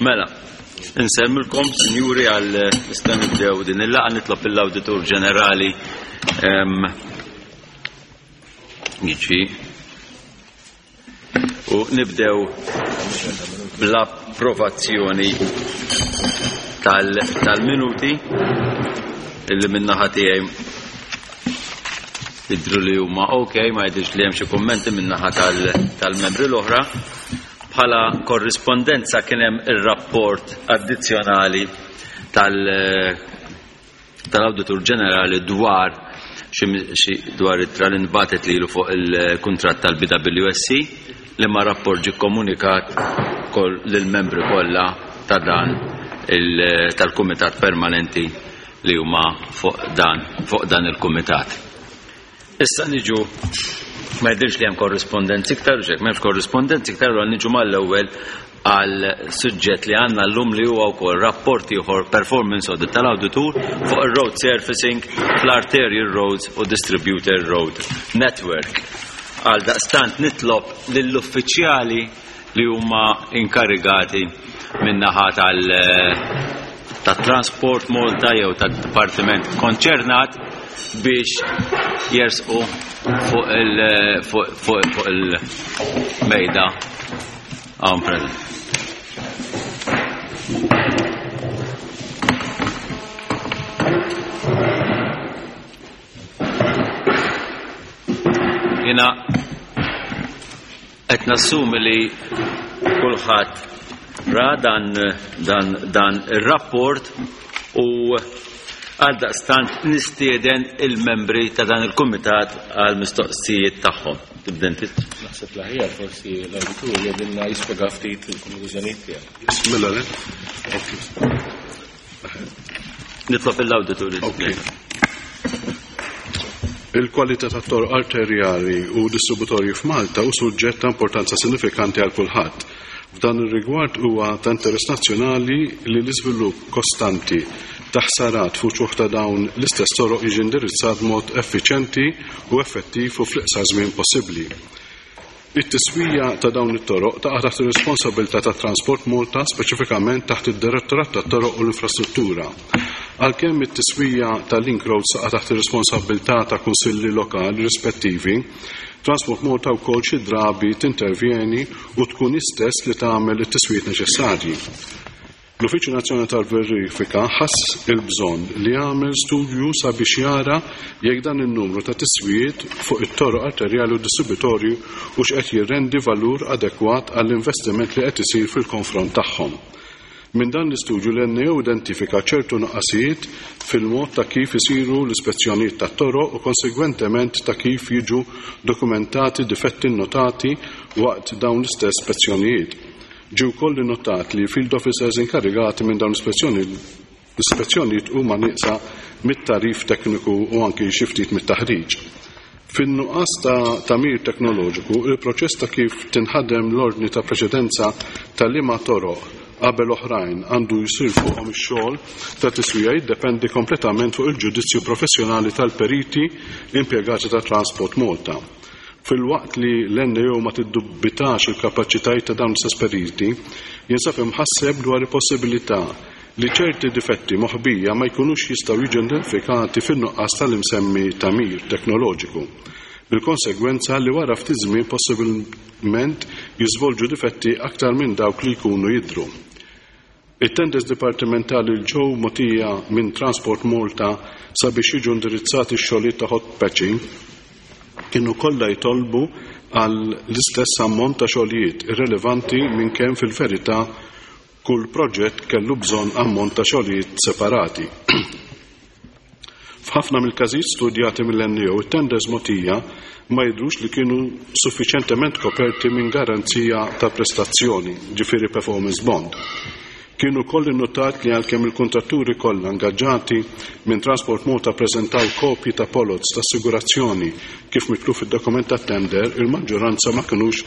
Mela, insemmilkom, sinjuri, għal nista' nibdew din il-laqgħa nitlob lill-Awditur Ġenerali jiġi u nibdew bl-approvazzjoni tal-minuti illi min-naħa tiegħi jidhru li huma ok, ma jidhirx li hemm xi kummenti min-naħa tal-membri l-oħra. Bħala korrispondenza kien hemm ir-rapport addizzjonali tal- tal-Awditur Ġenerali dwar xi dwar ittra li nbatet lilu fuq il-kuntratt tal-BWSC li ma rapport ġie kkomunikat lill-membri kollha ta' dan tal-Kumitat Permanenti li huma fuq dan fuq dan il-kumitat. Issa niġu ma jidhirx li hemm korrispondenzi iktar, u xek m'hemmx korrispondenzi iktar, allura niġu mal-ewwel għal suġġett li għandna llum li huwa wkoll rapport ieħor performance audit tal-awditur fuq ir-road surfacing fl-arterial roads u distributor road network. Għal daqstant nitlob lill-uffiċjali li huma inkarigati min-naħa tal ta' Transport Malta jew tad-dipartiment konċernat biex jersqu fuq il-mejda hawn present. Jena Qed nassumi li kulħadd ra dan, dan, dan ir-rapport u għaldaqstant nistieden il-membri ta' dan il-kumitat għal mistoqsijiet tagħhom. Tibda inti? Naħseb l-aħjar forsi l-awditur jgħidilna jispjega ftit il-konklużjonijiet tiegħu. Mela le? Nitlob il-awditur. Okay. Il-kwalità tat-toroq arterjali u distributorji f'Malta hu suġġett ta' importanza sinifikanti għal kulħadd. F'dan ir-rigward huwa ta' interess nazzjonali li l-iżvilupp kostanti ta' ħsarat f'uċuħ ta' dawn l-istess toroq jiġi indirizzat b'mod effiċjenti u effettiv u fl-iqsar żmien possibbli. It-tiswija ta' dawn it-toroq taqa' taħt ir-responsabbiltà ta' Transport Malta, speċifikament taħt id-Direttorat tat-Toroq u l-Infrastruttura. Għalkemm it-tiswija ta' link roads taqa' taħt ir-responsabbiltà ta' kunsilli lokali rispettivi, Transport Malta wkoll xi drabi tintervjeni u tkun hi stess li tagħmel it-tiswijiet neċessarji. L-Uffiċċju Nazzjonali tal-Verifika ħass il-bżonn li jagħmel studju sabiex jara jekk dan in-numru ta' tiswijiet fuq it-toroq arterjali u distributorji hux qed jirrendi valur adekwat għall-investiment li qed isir fil-konfront tagħhom. Minn dan l-istudju l-NAO identifika ċertu nuqqasijiet fil-mod ta' kif isiru l-ispezzjonijiet tat-toroq u konsegwentement ta' kif jiġu dokumentati difetti nnotati waqt dawn l-istess spezzjonijiet. Ġie wkoll innotat li field officers inkarigati minn dawn l-ispezzjonijiet huma nieqsa mit-tagħrif tekniku u anki xi ftit mit-taħriġ. Fin-nuqqas ta' tagħmir teknoloġiku, il-proċess ta' kif tinħadem l-ordni ta' preċedenza ta' liema toroq qabel oħrajn għandu jsir fuqhom ix-xogħol ta' tiswija jiddependi kompletament fuq il-ġudizzju professjonali tal-periti impjegati ta' Transport Malta. Filwaqt li l-NAO ma tiddubbitax il-kapaċitajiet ta' dawn l-istess periti, jinsab imħasseb dwar il-possibilità li ċerti difetti moħbija ma jkunux jistgħu jiġu identifikati fin-nuqqas tal-imsemmi tagħmir teknoloġiku, bil-konsegwenza li wara ftit żmien possibilment jiżvolġu difetti aktar minn dawk li jkunu jidhru. It-tenders dipartimentali li ġew mogħtija minn Transport Malta sabiex jiġu indirizzati x-xogħlijiet ta' hot patching kienu kollha jitolbu għal l-istess ammont ta' xogħlijiet irrelevanti minn kemm fil-verità kull proġett kellu bżonn ammont ta' xogħlijiet separati. F'ħafna mill-każijiet studjati mill-NAO, it-tenders mogħtija ma jidhrux li kienu suffiċjentement koperti minn garanzija ta' prestazzjoni, ġifieri performance bond. Kien ukoll innutat li għalkemm il-kuntratturi kollha ngaġġati minn Transport Malta ppreżentaw kopji ta' poloz ta' assigurazzjoni kif mitlub fid-dokument tat-tender, il-maġġoranza ma kinux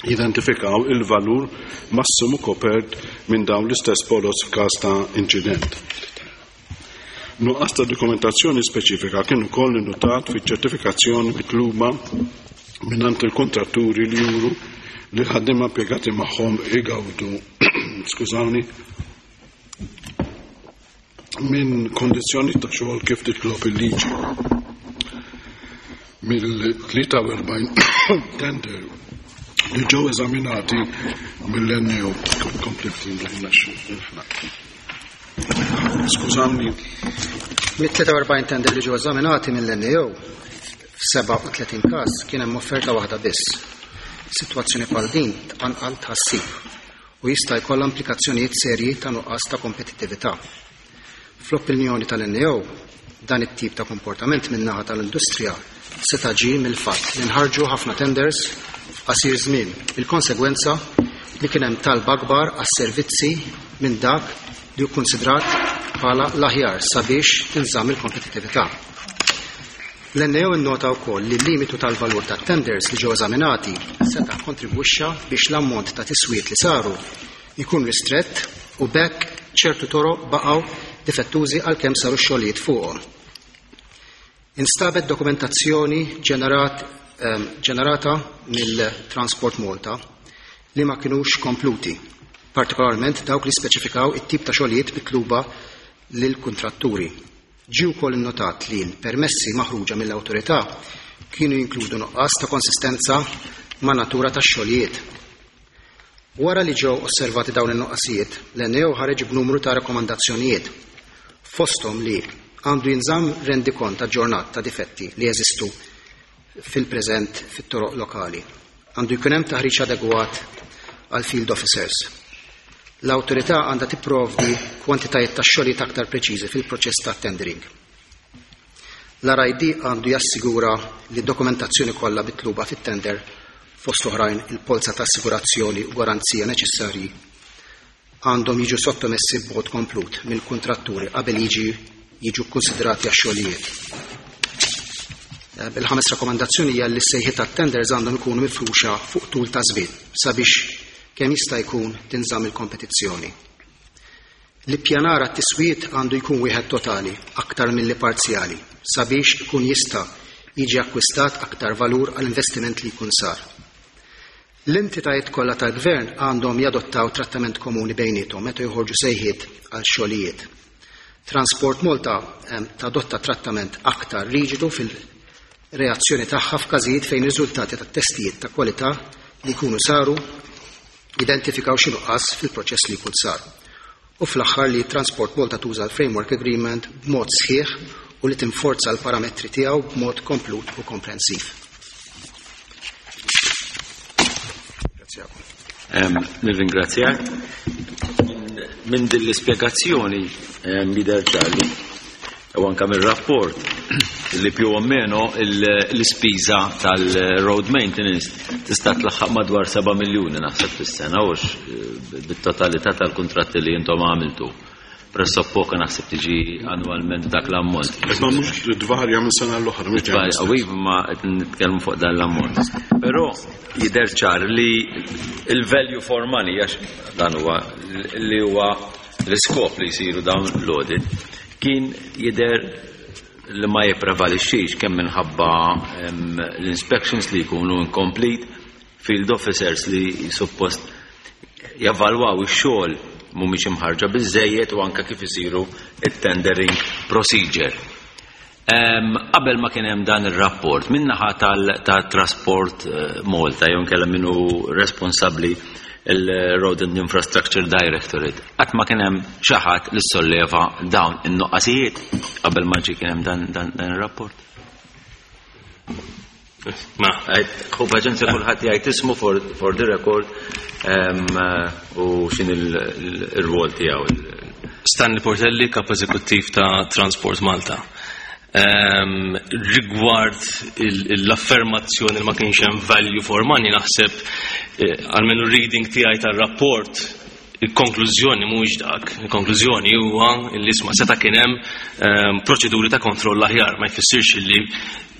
jidentifikaw il-valur massimu kopert minn dawn l-istess poloz f'każ ta' inċident. Nuqqas ta' dokumentazzjoni speċifika kien ukoll innutat fiċ-ċertifikazzjoni mitluba mingħand il-kuntratturi li juru li l-ħaddiema impjegati magħhom igawdu, skużawni, minn kondizzjoni ta' xogħol kif titlob il-liġi. Mill-43 tender li ġew eżaminati mill-NAO. Kompli Skużawni. Mit-43 tender li ġew eżaminati mill-NAO, f'37 każ kien hemm offerta waħda biss. Sitwazzjoni bħal din tqanqal tħassib u jista' jkollha implikazzjonijiet serji ta' nuqqas ta' kompetittività. Fl-opinjoni tal-NAO, dan it-tip ta' komportament min-naħa tal-industrija seta' ġie mill-fatt li nħarġu ħafna tenders f'qasir żmien, bil-konsegwenza li kien hemm talba akbar għas-servizzi minn dak li hu kkunsidrat bħala l-aħjar sabiex tinżamm il-kompetittività. L-NAO innota wkoll li l-limitu tal-valur tat-tenders li ġew eżaminati seta' kkontribwixxa biex l-ammont ta' tiswijiet li saru jkun ristrett u b'hekk ċertu toroq baqgħu difettużi għalkemm saru x-xogħlijiet fuqhom. Instabet dokumentazzjoni ġenerat, ġenerata mill-Transport Malta li ma kinux kompluti, partikolarment dawk li speċifikaw it-tip ta' xogħlijiet mitluba lill-kuntratturi. Ġie wkoll innotat li l-permessi maħruġa mill-awtorità kienu jinkludu nuqqas ta' konsistenza man-natura tax-xogħlijiet. Wara li ġew osservati dawn in-nuqqasijiet, l-NAO ħareġ b'numru ta' rakkomandazzjonijiet, fosthom li għandu jinżamm rendikont aġġornat ta' difetti li jeżistu fil-preżent fit-toroq lokali. Għandu jkun hemm taħriġ adegwat għall-field officers. L-awtorità għandha tipprovdi kwantitajiet ta' xogħlijiet aktar preċiżi fil-proċess ta' tendering. L-RID għandu jassigura li d-dokumentazzjoni kollha mitluba fit-tender fost oħrajn il-polza ta' assigurazzjoni u garanzija neċessarji għandhom jiġu sottomessi b'mod komplut mill-kuntratturi qabel jiġi jiġu kkunsidrati għax-xogħlijiet. Eh, il-ħames rakkomandazzjoni hija li s-sejħiet tat-tenders għandhom ikunu mifruxa fuq tul ta' żmien sabiex kemm jista' jkun tinżamm il-kompetizzjoni. L-ippjanar għat-tiswijiet għandu jkun wieħed totali aktar milli parzjali sabiex ikun jista' jiġi akkwistat aktar valur għall-investiment li jkun sar. L-entitajiet kollha tal-Gvern għandhom jadottaw trattament komuni bejniethom meta joħorġu sejħiet għal xogħlijiet. Transport Malta tadotta trattament aktar riġidu fil-reazzjoni tagħha f'każijiet fejn riżultati tat-testijiet ta' kwalità li jkunu saru jidentifikaw xi nuqqas fil-proċess li jkun sar. U fl-aħħar li Transport Malta tuża l-Framework Agreement b'mod sħiħ u li tinforza l-parametri tiegħu b'mod komplut u komprensiv. Nirringrazzjak. Minn din l-ispjegazzjoni jidher ċar li u anka mir-rapport li più o meno l-ispiża tal-road maintenance tista' tlaħħaq madwar 7 miljuni naħseb fis-sena hux eh, bit-totalità tal-kuntratti li intom għamiltu. Pressappoka naħseb tiġi annwalment dak l-ammont. Ma mhux tvarja minn sena l-oħra. Tvarja, u iva, ma qed nitkellmu fuq dan l-ammont. Però jidher ċar li il-value for money għax dan huwa li huwa l-iskop li jsiru dawn l-audit kien jidher li ma jipprevalixxix kemm minħabba l-inspections li jkunu incomplete, field officers li suppost javalwaw ix-xogħol mhumiex imħarġa biżejjed u anke kif isiru it-tendering procedure. Qabel ma kien hemm dan ir-rapport, min-naħa tal-Trasport eh, Malta jew inkella min hu responsabbli il-Road and Infrastructure Directorate, qatt ma kien hemm xi ħadd li solleva dawn in-nuqqasijiet qabel ma ġie kien hemm dan, dan, dan ir-rapport. Ma, hu paċenzja kulħadd jgħid ismu for, for the record u xin il-rwol tiegħu. Stanley Portelli, kap eżekuttiv ta' Transport Malta. Rigward l-affermazzjoni li ma kienx hemm value for money naħseb eh, għalmenu reading tiegħi tar-rapport il-konklużjoni mhuwiex dak. Il-konklużjoni huwa li isma' seta' kien hemm ehm, proċeduri ta' kontroll aħjar, ma jfissirx li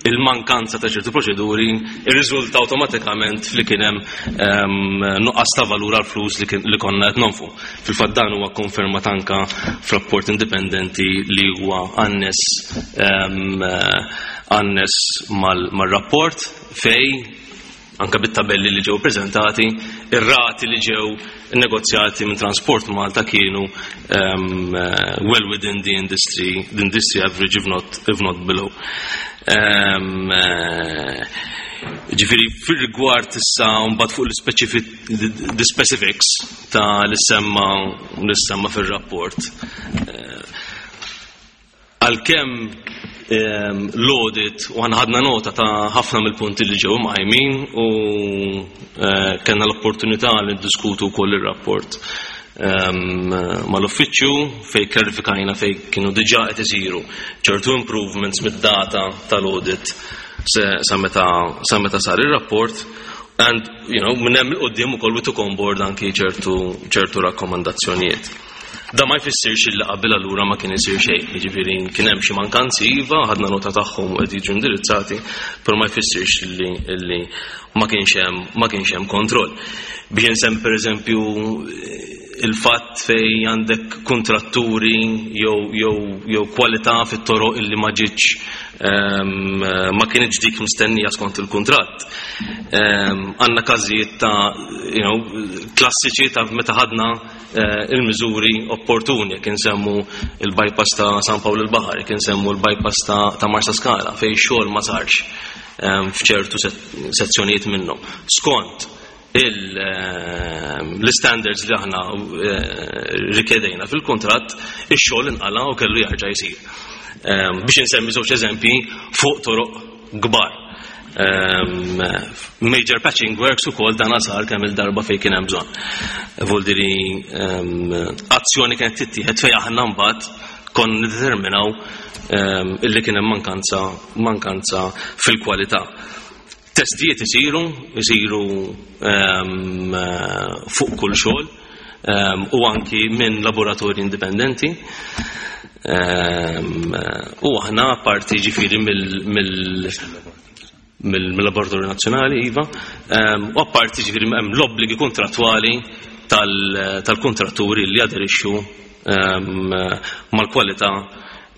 il-mankanza ta' ċertu proċeduri irriżulta awtomatikament li kien hemm ehm, nuqqas ta' valur għal flus li konna qed nonfu. Fil-fatt dan huwa konfermat anka f'rapport indipendenti li huwa annes ehm, annes mal-rapport fej Anke bit-tabelli li ġew preżentati, ir-rati li ġew negozjati minn Transport Malta kienu well within the industry, the industry average if not, if not below. Ġifieri fir-rigward issa mbagħad fuq the specifics ta' li semma li semma fir-rapport. Għalkemm l-audit u ħadna nota ta' ħafna mill-punti li ġew mqajmin u kellna l-opportunità li ndiskutu wkoll ir-rapport mal-uffiċċju fejn klarifikajna fejn kienu diġà qed isiru ċertu improvements mid-data tal-audit sa meta sa meta sar ir-rapport and minn hemm 'il quddiem ukoll we took on board anki ċertu ċertu rakkomandazzjonijiet. Da ma jfissirx illi qabel allura ma kien isir xejn, jiġifieri kien hemm xi mankanzi iva, ħadna nota tagħhom u qed jiġu indirizzati, però ma jfissirx illi illi ma kienx hemm ma kienx hemm kontroll. Biex insemmi pereżempju il-fatt fej għandek kontratturi jew jew jew kwalità fit-toroq illi ma ġietx ma kienx dik mistennija skont il-kuntratt. Għandna każijiet ta' klassiċi ta' meta ħadna il-miżuri opportuni, jekk insemmu il-bypass ta' San Pawl il-Baħar, jekk insemmu l-bypass ta' Marsa Skala, fejn xogħol ma sarx f'ċertu sezzjonijiet minnhom. Skont l-standards li aħna rikjedejna fil-kuntratt, ix-xogħol inqala' u kellu jarġa' jsir. Biex insemmi żewġ eżempji fuq toroq kbar. Major patching works ukoll dan sar kemm il-darba fejn kien hemm bżonn. Vuldiri azzjoni kienet tittieħed fejn aħna mbagħad konna niddeterminaw illi kien hemm mankanza mankanza fil-kwalità. Testijiet isiru, isiru fuq kull xogħol u anki minn laboratorji indipendenti. U aħna parti ġifieri mill-Laboratorju Nazzjonali, iva, u apparti ġifieri hemm l-obbligi kontrattwali tal-kontratturi li jaderixxu mal-kwalità u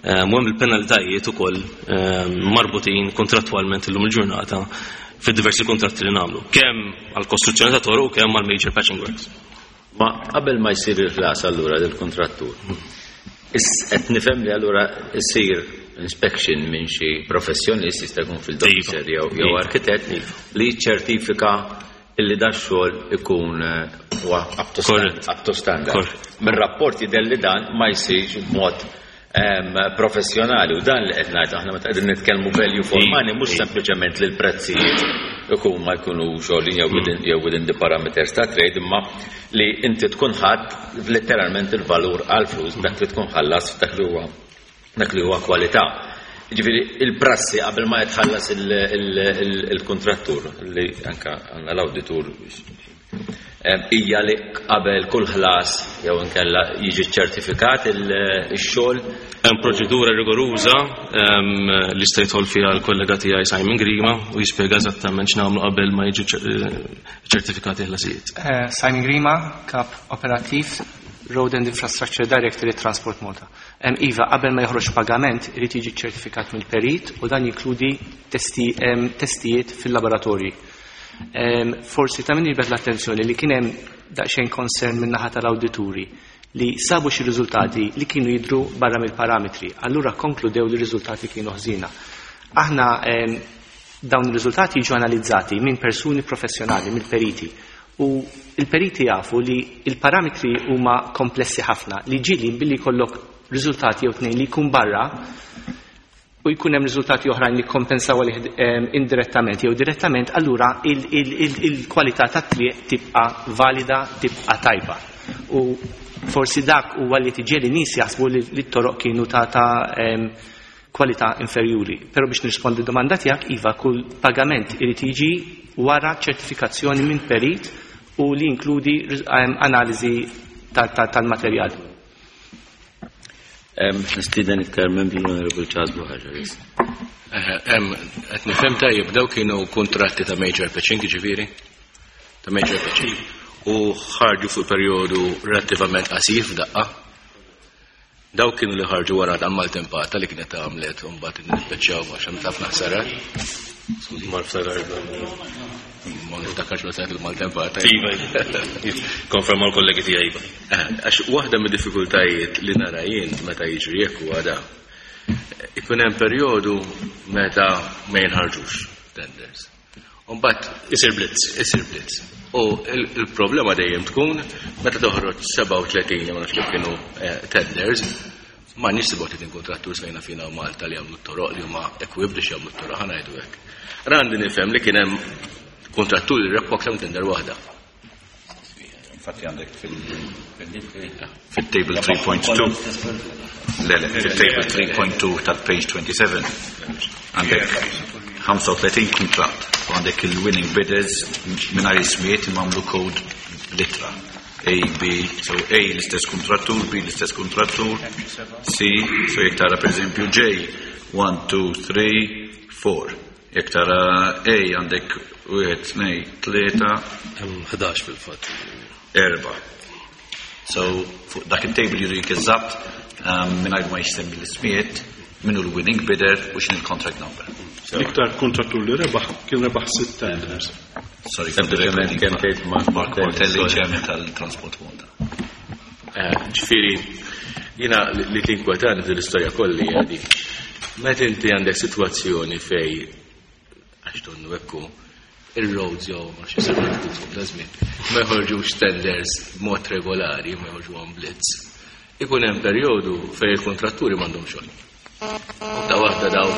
hemm il-penalitajiet ukoll marbutin kontrattwalment illum il-ġurnata fid-diversi kontratti li nagħmlu, kemm għall-kostruzzjoni ta' toroq u kemm għall major patching works. Ma qabel ma jsir il-ħlas allura lill-kontrattur, qed nifhem li allura jsir inspection minn xi professjonist, jista' jkun field officer jew arkitett, li jiċċertifika illi da xogħol ikun huwa up to up to standard. Mir-rapport jidher li dan ma jsirx b'mod professjonali u dan li qed ngħid aħna meta qegħdin nitkellmu value for money mhux sempliċement li l-prezzijiet ikun ma jkunu xogħolin jew within the parameters ta' trade, imma li inti tkun ħadd letteralment il-valur għal flus dak li tkun ħallas dak li huwa dak li huwa kwalità. Ġifieri il-prassi qabel ma jitħallas il-kontrattur li anka għandna l-awditur hija li qabel kull ħlas jew inkella jiġi ċertifikat il-xogħol. Hemm proċedura rigoruża li sta jidħol fiha l-kollega tiegħi Simon Grima u jispjega eżattament x'nagħmlu qabel ma jiġu ċertifikati ħlasijiet. Simon Grima, Kap Operattiv, Road and Infrastructure Directorate, Transport Malta. Iva, qabel ma joħroġ pagament irid jiġi ċertifikat mill-perit u dan jinkludi testijiet fil-laboratorji. Forsi ta' min jiġbed l-attenzjoni li kien hemm daqsxejn concern min-naħa tal-awdituri li sabu xi riżultati li kienu jidru barra mill-parametri. Allura konkludew li r-riżultati kienu ħżiena. Aħna dawn ir-riżultati jiġu analizzati minn persuni professjonali, mill-periti. U il-periti jafu li il-parametri huma komplessi ħafna li ġieli billi jkollok riżultati jew tnejn li jkun barra u jkun hemm riżultati oħrajn li kompensaw għalih indirettament jew direttament, allura il-kwalità tat-triq tibqa' valida, tibqa' tajba. U forsi dak huwa li tiġi li nies jaħsbu li t-toroq kienu ta' kwalità inferjuri. Però biex nirrispondi domanda tiegħek, iva, kull pagament irid jiġi wara ċertifikazzjoni minn perit u li jinkludi analiżi tal-materjal. Nistieden iktar membri l-Onorevole Charles Buhagiar. Qed nifhem tajjeb daw kienu kontratti ta' major patching, ġifieri? Ta' major patching. U ħarġu fuq perjodu relattivament qasir f'daqqa. Dawk kienu li ħarġu wara ta' maltempata li kienet għamlet u mbagħad nippeċċjaw għax hemm ħafna ħsarat. Skużi, ma niftakar. Ma niftakarx meta il-maltempata. Iva, konferma l-kollegi tiegħi iva. Għax waħda mid-diffikultajiet li nara jien meta jiġri jekk huwa da. Ikun hemm perjodu meta ma jinħarġux tenders. Mbagħad isir blitz. Isir blitz. U il-problema dejjem tkun meta toħroġ 37 ma nafx kif kienu tenders, ma nix 37 kontrattur fejna fina u Malta li jagħmlu t-toroq li huma equipped biex jagħmlu t-toroq ħa ngħidu hekk. Randi nifhem li kien hemm kontrattur li rebħu aktar minn tender waħda. Infatti għandek fil-table 3.2 le, le, fil-table 3.2 tal-page 27 għandek 35 contract u għandek il-winning bidders mingħajr ismijiet imma għamlu code litra. A, B, so A l-istess kontrattur, B l-istess kontrattur, C, so jekk tara per eżempju J, 1, 2, 3, 4. Jekk tara A għandek 1, 2, 3, Hemm 11 fil-fatt. 4. So, fuq dak il-table jurik eżatt mingħajr ma jsemmi l-ismijiet, minnu l-winning bidder u x'in il-contract number. L-iktar kontrattur li rebaħ kien rebaħ sitt tenders. Sorry, Sempliċement kemm tgħid Mark Portelli, chairman tal-Transport Malta. Ġifieri, jiena li tinkwetani fil istorja kolli hija dik. Meta inti għandek sitwazzjoni fej għax donnu ekku il-roads jew ma xi fuq da żmien, ma jħorġux tenders b'mod regolari, ma jħorġu on blitz. Ikun hemm perjodu fejn il-kontratturi m'għandhom xogħol. U ta' waħda daw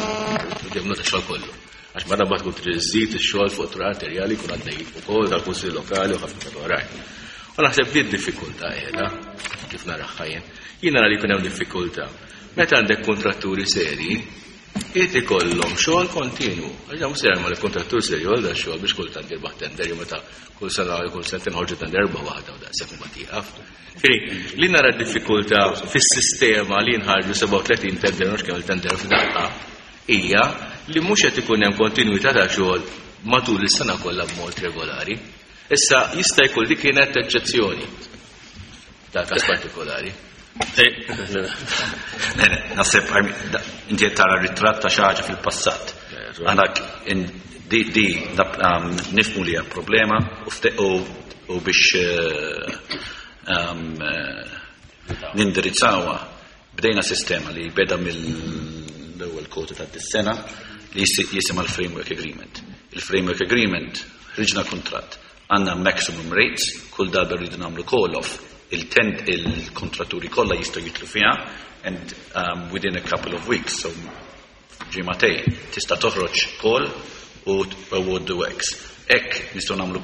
ġemnu ta' xogħol kollu. Għax ma dabba tkun trid iżżid ix-xogħol fuq toroq arterjali jkun għaddej ukoll tal-kunsilli lokali u ħafna oħrajn. U naħseb di d-diffikultà qiegħda kif naraħħa jien. Jien nara li jkun hemm diffikultà. Meta għandek kontratturi seri, irid ikollhom xogħol kontinu. Għax mhux se jagħmel kontrattur serju għal xogħol biex kultant jirbaħ tender jew meta kull sena kull sentejn ħorġu tender erba' waħda u daqshekk imbagħad jieqaf. Ġifieri, li nara d-diffikultà fis-sistema li jinħarġu 37 tender mhux kemm il-tender f'daqqa hija li mhux qed ikun hemm kontinwità ta' xogħol matul is-sena kollha b'mod regolari. Issa jista' jkun li kienet eċċezzjoni ta' każ partikolari. Naħseb inti qed tara ritratt ta' xi ħaġa fil-passat. Aħna di nifhmu li hija problema u biex nindirizzawha bdejna sistema li beda mill-ewwel kwota ta' dis-sena li jisimha l-Framework Agreement. Il-Framework Agreement ħriġna kuntratt, għandna maximum rates, kull darba rridu nagħmlu call-off, il-kontratturi kollha jistgħu jitlu fiha and within a couple of weeks, so ġimagħtejn, tista' toħroġ call u award the works. Hekk nistgħu nagħmlu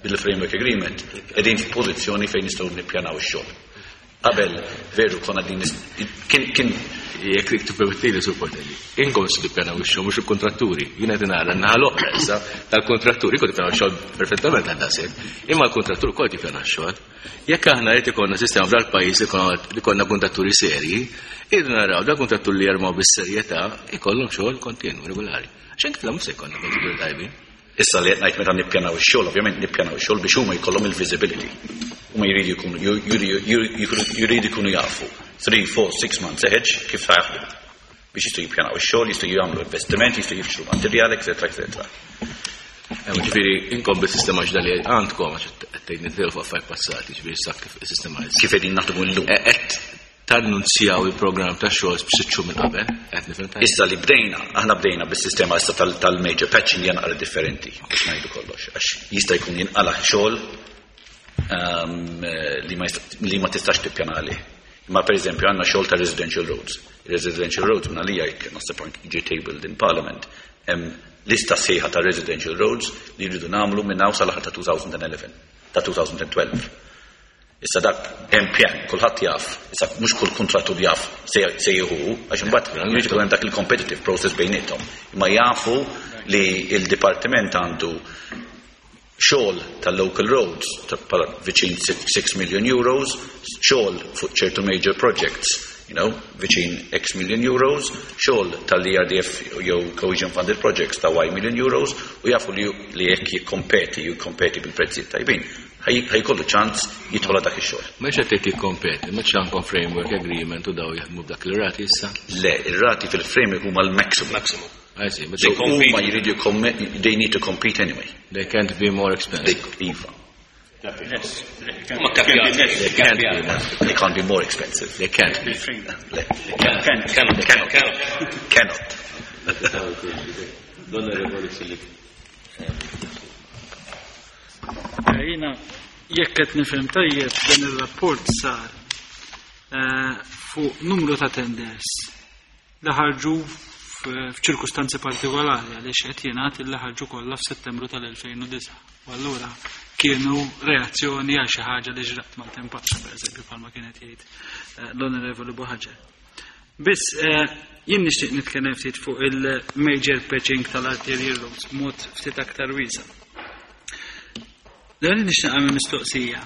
bil-Framework Agreement, qegħdin f'pożizzjoni fejn nistgħu nippjanaw ix-xogħol. Qabel veru konna din kien jekk tippermettili Sur Portelli. Inkom se tippjanaw ix-xogħol mhux il-kontratturi. Jiena qed nara n-naħa l-oħra issa tal-kontratturi kont tippjanaw ix-xogħol perfettament għal daqshekk. Imma l-kontrattur ukoll tippjana x-xogħol. Jekk aħna qed ikollna sistema f'dal-pajjiż li konna kontratturi serji, irridu naraw dal kontrattur li jarmaw bis-serjetà ikollhom xogħol kontinu, regolari. Għax anke mhux se jkollna kontratturi tajbin. Issa li qed ngħid meta nippjanaw ix-xogħol, ovvjament nippjanaw ix-xogħol biex huma jkollhom il-visibility. Huma jridu jkunu jridu jkunu jafu 3, 4, 6 months ahead kif ta' jaħdmu. Biex jistgħu jippjanaw ix-xogħol, jistgħu jagħmlu investiment, jistgħu jixtru materjal, eċetera, eċetera. Ġifieri inkom bis-sistema ġdida li għandkom għax qed tgħid nitilfu affarijiet passati, ġifieri issa kif is-sistema issa. Kif qegħdin naħdmu llum. Qed tannunzjaw il-programm ta' xogħol b'sitt xhur minn qabel, qed nifhem tajjeb. Issa li bdejna, aħna bdejna bis-sistema issa tal-major patching hija naqra differenti biex ngħidu kollox, għax jista' jkun jinqala' xogħol li ma tistax tippjana għalih. Imma per eżempju għandna xogħol ta' residential roads. Residential roads minn għalija jekk naħseb anki ġie tabled in Parliament, hemm lista sħiħa ta' residential roads li jridu nagħmlu minn hawn sal-aħħar ta' 2011, ta' 2012. Issa dak hemm pjan, kulħadd jaf, issa mhux kull kontrattur jaf se jieħu, għax imbagħad jrid ikun hemm dak il-competitive process bejniethom. Imma jafu li il-dipartiment għandu xogħol tal-local roads ta' bħala viċin 6 million euros, xogħol fuq ċertu major projects. Viċin X million euros, xogħol tal-ERDF jew Cohesion Funded Projects ta' Y million euros, u jafu li jekk jikkompeti, jikkompeti bil-prezzijiet tajbin, ħa jkollu ċans jidħol dak ix-xogħol. Mhux qed tgħid jikkompeti, mhux għandkom framework agreement u daw jaħdmu b'dak il-rati issa? Le, ir-rati fil-framework huma l-maximum. Maximum. I see, but So they compete. huma jridu they need to compete anyway. They can't be more expensive. They, iva. Ma kapjati. They can't be more, they can't be more expensive. They can't be. Le. Cannot. Cannot. Cannot. Cannot. L-Onorevoli Filip. Jiena, jekk qed nifhem tajjeb, dan ir-rapport sar fuq numru ta' tenders li ħarġu f'ċirkustanzi partikolari, għaliex qed jingħad li ħarġu kollha f'Settembru tal-2009. U allura kienu reazzjoni għal xi ħaġa li ġrat mal-tempata, pereżempju, bħalma kienet jgħid l-Onorevoli Buhagiar. Biss jien nixtieq nitkellem ftit fuq il-major patching tal-arterial roads b'mod ftit aktar wiesa'. L-ewwel nixtieq nagħmel mistoqsija.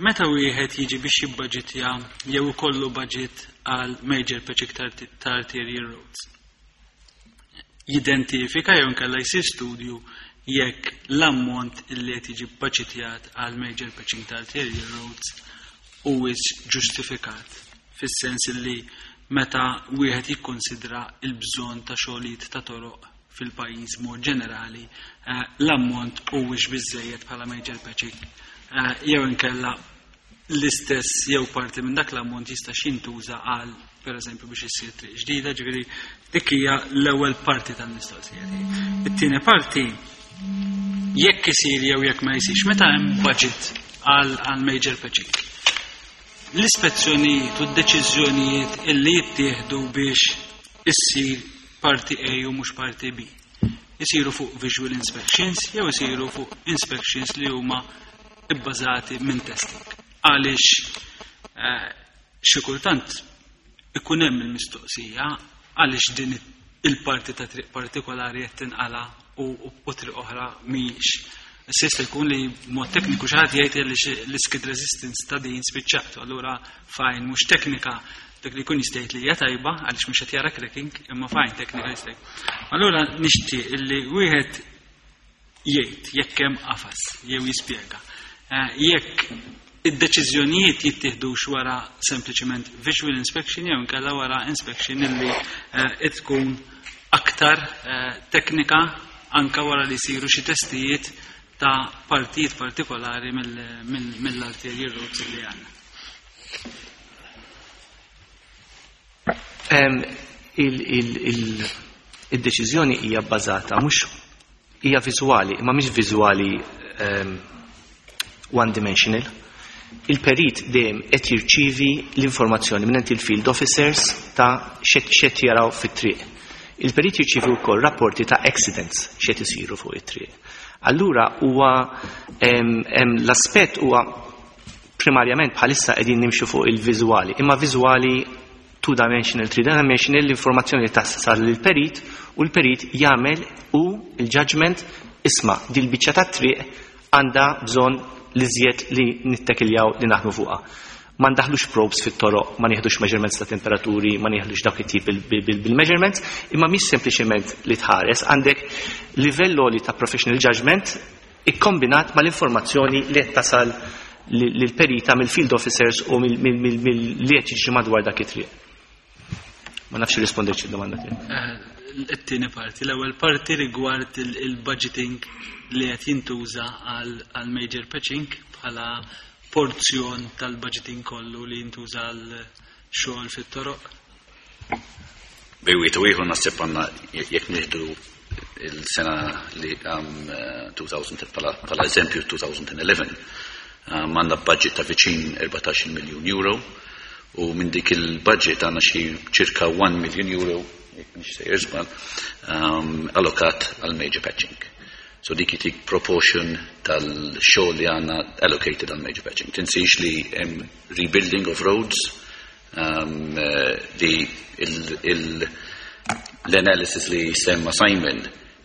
Meta wieħed jiġi biex jibbaġitja jew ikollu budget għal major patching ta' arterial roads, jidentifika jew inkella jsir studju jekk l-ammont illi qed jiġi bbaġitjat għal major patching ta' arterial roads huwiex ġustifikat, fis-sens illi meta wieħed jikkonsidra l-bżonn ta' xogħlijiet ta' toroq fil-pajjiż mod ġenerali, l-ammont huwiex biżejjed bħala major patching, jew inkella l-istess jew parti minn dak l-ammont jista' jintuża għal pereżempju biex issir triq ġdida, ġifieri dik hija l-ewwel parti tal-mistoqsija tiegħi. It-tieni parti, jekk isir jew jekk ma jsirx, meta hemm budget għal major patching, l-ispezzjonijiet u d-deċiżjonijiet illi jittieħdu biex issir parti A u mhux parti B, isiru fuq visual inspections jew isiru fuq inspections li huma ibbażati minn testing. Għaliex xi kultant ikun hemm il-mistoqsija għaliex din il-parti ta' triq partikolari qed tinqala u triq oħra mhijiex. Issa jista' jkun li mod tekniku xi ħadd jgħid li l-skid resistance ta' din spiċċat, allura fajn mhux teknika, dak li jkun jista' jgħid li hija tajba għaliex mhux qed jara cracking, imma fajn teknika jista' jgħid. Allura nixtieq illi wieħed jgħid jekk hemm qafas jew jispjega. Jekk id-deċiżjonijiet jittieħdux wara sempliċement visual inspection jew inkella wara inspection illi tkun aktar teknika anka wara li jsiru xi testijiet ta' partijiet partikolari mill-arterial roads li għandna. Il-deċiżjoni hija bbażata mhux hija viżwali, imma mhix viżwali one dimensional. Il-perit dejjem qed jirċievi l-informazzjoni minn il-field officers ta' x'qed jaraw fit-triq. Il-perit jirċievi wkoll rapporti ta' accidents x'qed isiru fuq it-triq. Allura l-aspett huwa primarjament bħalissa qegħdin nimxu fuq il-viżwali, imma viżwali two dimensional, three dimensional, l-informazzjoni li tasal lill-perit u l-perit jagħmel u l-judgment isma' dil-biċċa tat-triq għandha bżonn li żjed li nittekiljaw li naħdmu fuqha. Ma ndaħlux probes fit-toroq, ma nieħdux measurements ta' temperaturi, ma nieħdux dawk it-tip bil-measurements, imma mhix sempliċement li tħares, għandek livell għoli ta' professional judgment ikkombinat mal-informazzjoni li qed tasal lill-perita mill-field officers u mill-li qed jiġri madwar dak it-triq. Ma nafx irrispondejtx id-domanda tiegħek. It-tieni parti, l-ewwel parti rigward il-budgeting li qed jintuża għal major patching bħala porzjon tal-budgeting kollu li jintuża għal xogħol fit-toroq. Bejn wieħed u ieħor naħseb għandna jekk nieħdu il-sena li 2000 bħala eżempju 2011, għandna budget ta' viċin 14 miljun euro u minn dik il-budget għandna xi ċirka 1 million euro, jekk mhix sejjer żball, allokat għal major patching. So dik itik proportion tal-xogħol li għandna allocated għal major patching. Tinsiex li hemm rebuilding of roads, li l-analysis li semma Simon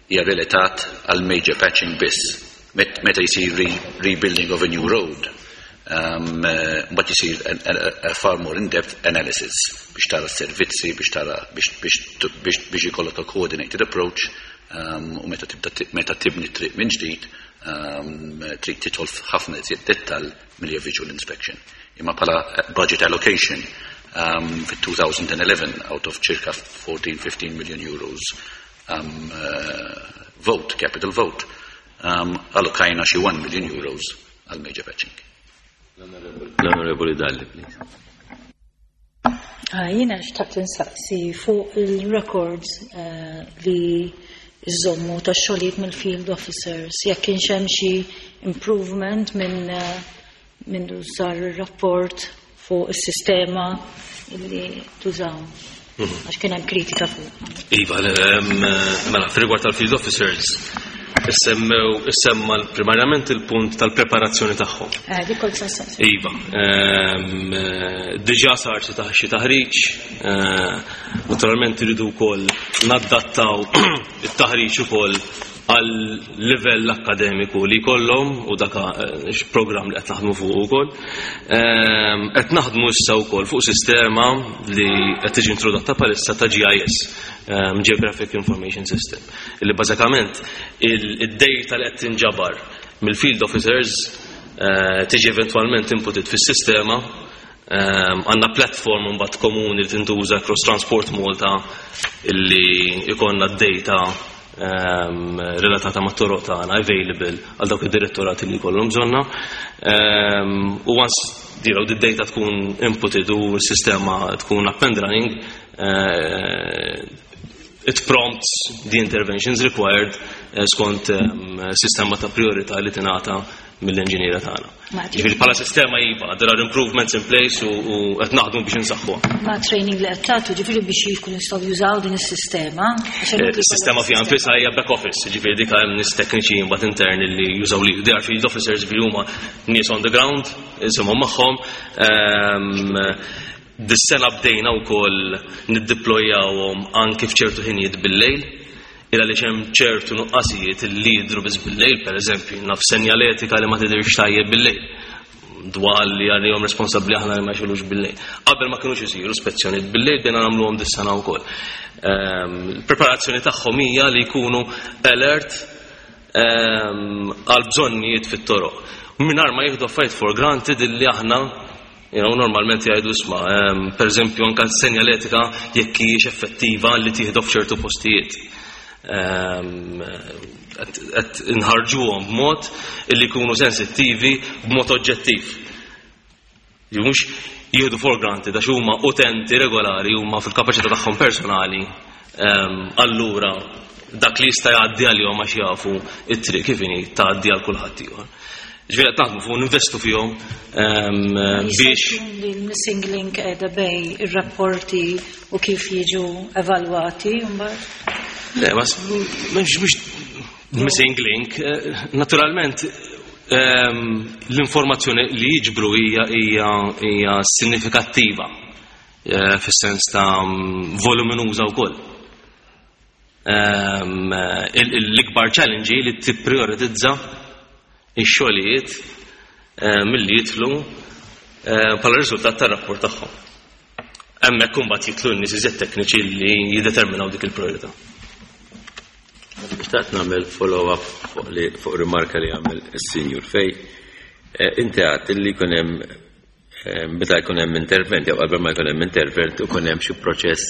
hija relatat għal major patching biss. Meta jsir rebuilding of a new road, Mbagħad isir a far more in-depth analysis biex tara s-servizzi, biex tara biex ikollok a coordinated approach u meta tibda meta tibni triq minn ġdid trid tidħol f'ħafna iżjed dettall milli visual inspection. Imma bħala budget allocation fit-2011 out of circa 14-15 million euros vote, capital vote, allokajna xi 1 million euros għal major patching. L-Onorevoli Dalli, please. Ah, jiena xtaqt insaqsi fuq il-records li iżommu ta' xogħlijiet mill-field officers, jekk kienx hemm xi improvement minn sar ir-rapport fuq is-sistema li tużaw. Għax kien hemm kritika fuq. Iva, mela, fil-rigward tal-field officers, issemmew, issemma primarjament il-punt tal-preparazzjoni tagħhom. Dik kont se nsaqsi. Iva, diġà sar xi taħriġ, naturalment iridu wkoll naddattaw it-taħriġ ukoll għal livell akkademiku li jkollhom u dak programm li qed naħdmu fuq ukoll. Qed naħdmu issa wkoll fuq sistema li qed tiġi introdotta bħalissa ta' GIS, Geographic Information System, li bażikament id-data li qed tinġabar mill-field officers tiġi eventwalment inputed fis-sistema. Għandna platform mbagħad komuni li tintuża across Transport Malta illi ikollna d-data relatata ma' toroq tagħna available għal dawk id-direttorati li jkollhom bżonna. U once the data tkun inputted u s-sistema tkun up and running, it prompts the interventions required skont sistema ta' priorità li tingħata mill-inġiniera tagħna. Ġifieri bħala sistema iva, there are improvements in place u qed naħdmu biex insaħħuha. Ma training li qed tagħtu ġifieri biex jkun jistgħu jużaw din is-sistema? Is-sistema fiha nfisha hija back office, ġifieri dik hemm nies tekniċi mbagħad interni li jużaw li they are field officers, ġifieri huma nies on the ground, isimhom magħhom. Dis-sena bdejna wkoll niddiplojawhom anke f'ċertu ħinijiet bil-lejl, illa li hemm ċertu nuqqasijiet li jidhru biss bil-lejl, pereżempju, naf senjaletika li ma tidhirx tajjeb bil-lejl, dwal li għalihom responsabbli aħna li ma jxilux bil-lejl. Qabel ma kinux isiru spezzjonijiet bil-lejl, bdejna nagħmluhom dis-sena wkoll. Il-preparazzjoni tagħhom hija li jkunu alert għal bżonnijiet fit-toroq. Mingħajr ma jieħdu affarijiet for granted illi aħna normalment jgħidu isma', per eżempju anke s-senjaletika jekk hijiex effettiva li tieħdu f'ċertu postijiet. Qed inħarġuhom b'mod illi jkunu sensittivi b'mod oġġettiv. Li mhux jieħdu for granted għax huma utenti regolari, huma fil-kapaċità tagħhom personali, allura dak li jista' jgħaddi għalihom għax jafu it-triq kif inhi tgħaddi għal kulħadd ieħor. Ġifieri qed naħdmu fuq ninvestu fihom biex li l-missing link qiegħda bejn ir-rapporti u kif jiġu evalwati mbagħad? Le, ma mhux missing link, naturalment l-informazzjoni li jiġbru hija sinifikattiva fis-sens ta' voluminuża wkoll. L-ikbar challenge hi li tipprioritizza ix-xogħlijiet milli jidħlu bħala riżultat tar-rapport tagħhom. Hemmhekk imbagħad jidħlu n-nies iżjed tekniċi li jiddeterminaw dik il-priorità. Xtaqt nagħmel follow-up fuq rimarka li għamel is-Sinjur Fej. Inti għedt li jkun hemm meta jkun hemm intervent jew qabel ma jkun hemm intervent ikun hemm xi proċess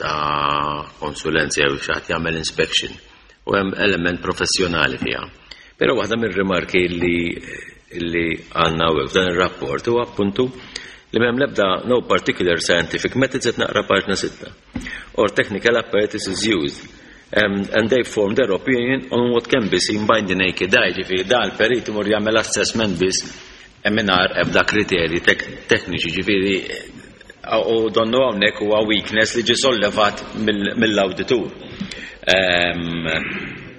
ta' konsulenza jew xi ħadd jagħmel inspection u hemm element professjonali fiha. Però waħda mir-rimarki li għandna hawnhekk f'dan ir-rapport huwa appuntu li m'hemm l-ebda no particular scientific methods, qed naqra paġna 6 or technical apparatus is used and they form their opinion on what can be seen by the naked eye. Ġifieri dan il-perit imur jagħmel assessment biss mingħajr ebda kriterji tekniċi, ġifieri u donnu hawnhekk huwa weakness li ġie sollevat mill-awditur.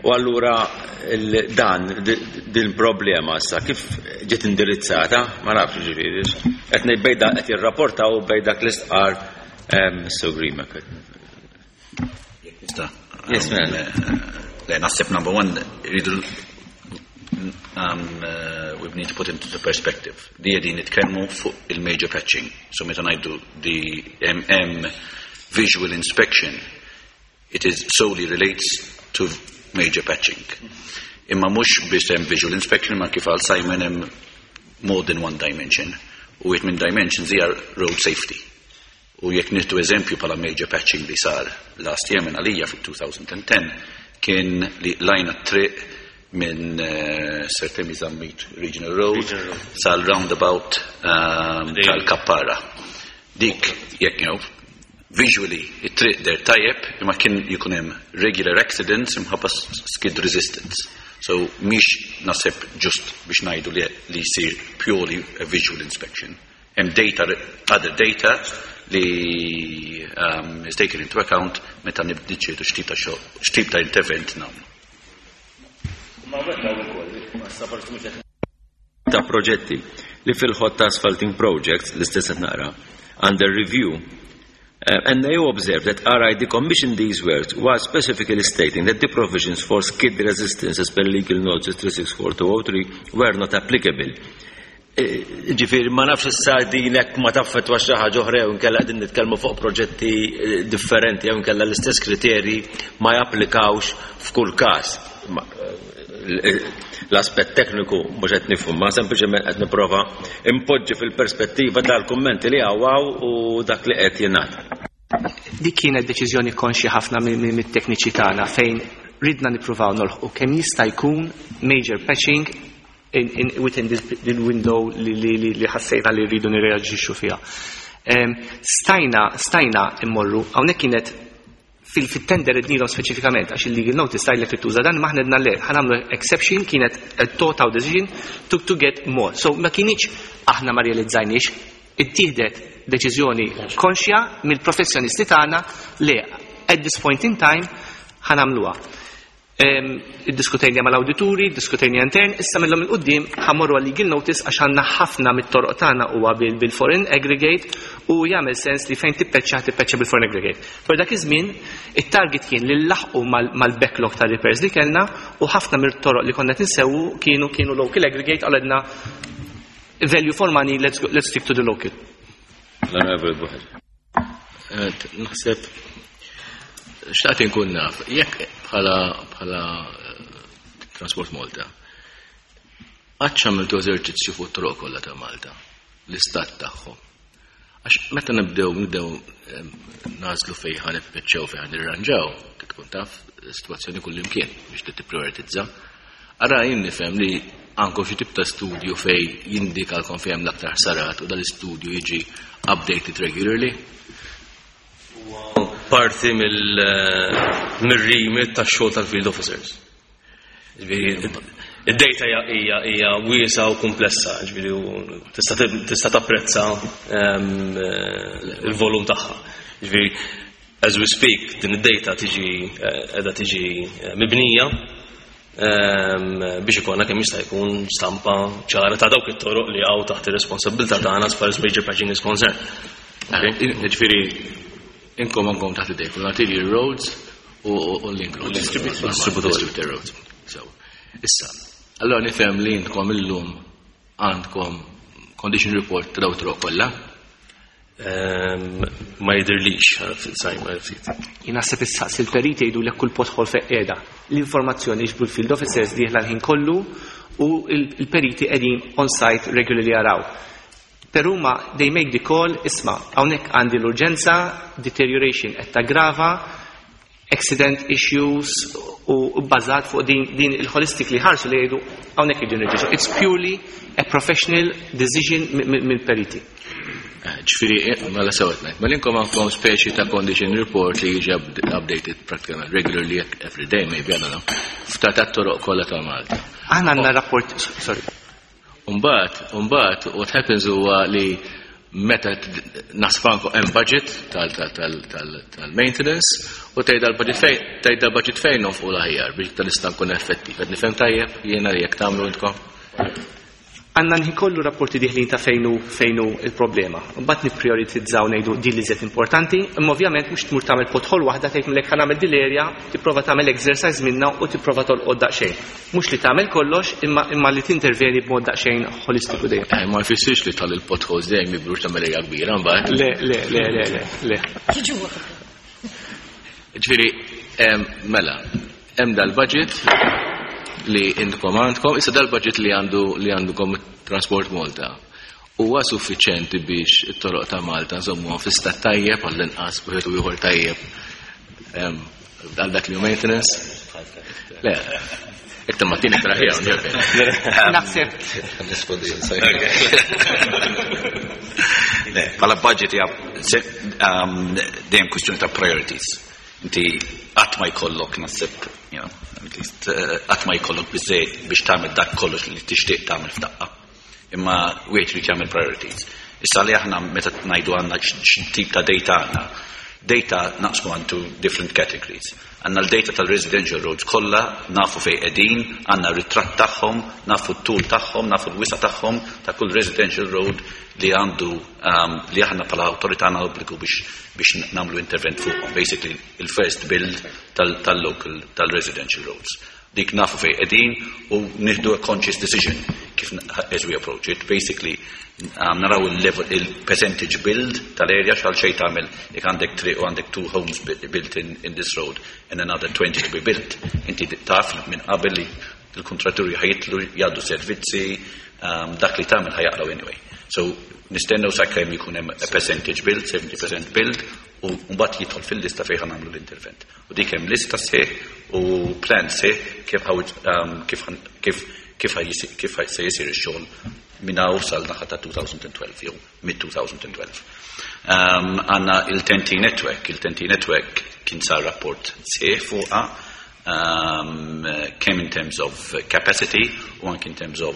U allura dan din problema issa kif ġiet indirizzata, ma nafx, ġifieri qed ngħid bejda qed jirrapportaw bejn dak l-istqar Mr. Grima. Yes, ma'am. Le, naħseb number one, rridu we've need to put into perspective. Li qegħdin nitkellmu fuq il-major patching. So meta ngħidu the MM visual inspection, it is solely relates to major patching. Imma mhux biss hemm visual inspection, ma kif qal Simon hemm more than one dimension. U wieħed minn dimensions hija road safety. U jekk nieħdu eżempju bħala major patching li sar last year minn għalija fit-2010 kien li lajna triq minn Sir Temi Zammit Regional Road sal-roundabout tal-Kappara. Dik jekk jew visually it-triq deher tajjeb, imma kien jkun hemm regular accidents imħabba skid resistance. So mhix naħseb ġust biex ngħidu li jsir purely a visual inspection. Hemm data, other data li is taken into account meta niddeċiedu x'tip ta' xogħol, x'tip ta' intervent nagħmlu. Ma ta' proġetti li fil-hot asphalting projects, l-istess qed naqra, under review, and they observed that RID commissioned these works while specifically stating that the provisions for skid resistance as per legal notice 364203 were not applicable. Ġifieri, ma nafx issa dinek ma taffettwa xi ħaġa oħra jew inkella qegħdin nitkellmu fuq proġetti differenti jew inkella l-istess kriterji ma japplikawx f'kull każ. L-aspett tekniku mhux qed nifhmu, ma sempliċement qed nipprova impoġġi fil-perspettiva tal-kummenti li hawn u dak li qed jingħad. Dik kienet deċiżjoni konxja ħafna mit-tekniċi tagħna fejn ridna nippruvaw nolħqu kemm jista' jkun major patching within this window li ħassejna li rridu nirreaġixxu fiha. Stajna immorru, hawnhekk kienet fil-tender ednilhom speċifikament għax il-legal notice tajlek li tuża dan, maħna għedna le, ħa nagħmlu exception, kienet a thought out decision to get more. So ma kienx aħna ma realizzajniex, ittieħdet deċiżjoni konxja mill-professjonisti tagħna li at this point in time ħa nagħmluha. Iddiskutejna mal-awdituri, diskutejna intern, issa mill-lum 'il quddiem ħa mmorru għal legal notice għax għandna ħafna mit-toroq tagħna huwa bil-foreign aggregate u jagħmel sens li fejn tippeċċa tippeċċa bil-foreign aggregate. Per dak iż-żmien it-target kien li nlaħqu mal-backlog ta' repairs li kellna u ħafna mit-toroq li konna tinsewu kienu local aggregate, għaledna value for money, let's stick to the local. L-Onorevoli Buħer. Naħseb xtaqt inkun naf, jekk bħala Transport Malta, qatt għamiltu eżerċizzju fuq toroq kollha ta' Malta, l-istat tagħhom. Għax meta nibdew nagħżlu fejn ħa nippeċċew, fejn ħa nirranġaw, tkun taf sitwazzjoni kull imkien biex tipprioritizza. Ara jien nifhem li għandkom xi tip ta' studju fej jindikalkom fejn hemm l-aktar ħsarat u dal-istudju jiġi updated regularly. Parti mill-remit tax-xogħol tal-field officers. Ġifieri, id-data hija wiesgħa u komplessa, ġifieri u tista' tapprezza il-volum tagħha. Ġifieri, as we speak, din id-data tiġi qiegħda tiġi mibnija biex ikollna kemm jista' jkun stampa ċara ta' dawk it-toroq li hawn taħt ir-responsabilità tagħna as far as major patching is concerned. Ġifieri, inkom għandkom taħt idejkom l-arterial roads u link roads. Distributor. Distributor roads. So, issa, allora nifhem li intkom illum għandkom condition report ta' dawk toroq kollha? Ma jidirlix, Simon, ftit. Jien naħseb issaqsi il-periti jgħidu lek kull pothole fejn qiegħda. L-informazzjoni jiġbru l-field officers dieħla l-ħin kollu u il-periti qegħdin on site regularly jaraw. Per huma they make the call, isma', hawnhekk għandi l-urġenza, deterioration qed taggrava, accident issues u bbażat fuq din il-holistic li ħarsu li jgħidu hawnhekk jgħidu nirġiġu. It's purely a professional decision mill-periti. Ġifieri, mela sewet ngħid, ma linkom għandkom speċi ta' condition report li jiġi updated practically regularly every day, maybe, I don't know, f'ta' tat-toroq kollha ta' Malta. Aħna għandna rapport, sorry. Umbagħad, what happens huwa li meta nasfanku hemm budget tal-maintenance u tgħid l-budget fejn, tgħid l-budget fejn nonfqu l-aħjar biex tal nista' nkun effettiv. Qed nifhem tajjeb jiena li jekk tagħmlu intkom? Għandna l-ħin kollu rapporti dieħlin ta' fejn hu fejn hu l-problema. Mbagħad nipprijoritizzaw ngħidu din l-iżjed importanti, imma ovvjament mhux tmur tagħmel pothole waħda tgħid mlek ħa nagħmel din l-area, tipprova tagħmel exercise minnha u tipprova tolqot daqsxejn. Mhux li tagħmel kollox imma imma li tinterveni b'mod daqsxejn ħolistiku dejjem. Eh, ma jfissirx li tal il-potholes dejjem jikbrux tagħmel area kbira mbagħad. Le, le, le, le, le, le. Ġifieri, mela, hemm dal-budget li intkom għandkom, issa dal-budget li għandu li għandkom Transport Malta huwa suffiċjenti biex it-toroq ta' Malta nżommuhom fi stat tajjeb għall-inqas wieħed u ieħor tajjeb għal dak li hu maintenance? Le, iktar ma tieni traħija Naħseb. Le, bħala budget hija dejjem kwistjoni ta' priorities. Inti qatt ma jkollok naħseb, you know, at least qatt ma jkollok biżejjed biex tagħmel dak kollox li tixtieq tagħmel f'daqqa. Imma wieħed irid jagħmel priorities. Issa li aħna meta ngħidu għandna x'tip ta' data għandna, data naqsmu għandu different categories. Għandna l-data tal-residential roads kollha, nafu fejn qegħdin, għandna ritratt tagħhom, nafu t-tul tagħhom, nafu l-wisa tagħhom ta' kull residential road li għandu li aħna bħala awtorità għandna obbligu biex nagħmlu intervent fuqhom. Basically, il-first build tal-local tal-residential roads. Dik nafu fejn qegħdin u nieħdu a conscious decision kif as we approach it. Basically, naraw il-level il-percentage build tal-area x'għal xejn tagħmel jekk għandek triq u għandek two homes built in this road and another 20 to be built. Inti taf minn qabel li l-kontratturi ħa jitlu jgħaddu servizzi, dak li tagħmel ħa jaqraw anyway. So nistennew sakemm jkun hemm a percentage build, 70% build, u mbagħad jidħol fil-lista fejn ħa nagħmlu l-intervent. U dik hemm lista sħiħ u plan sħiħ kif kif kif kif kif se jsir ix-xogħol minn hawn sal-naħa ta' 2012 jew mid-2012. Għandna il-TEN-T Network, il-TEN-T Network kien sar rapport sħiħ fuqha kemm in terms of capacity u anke in terms of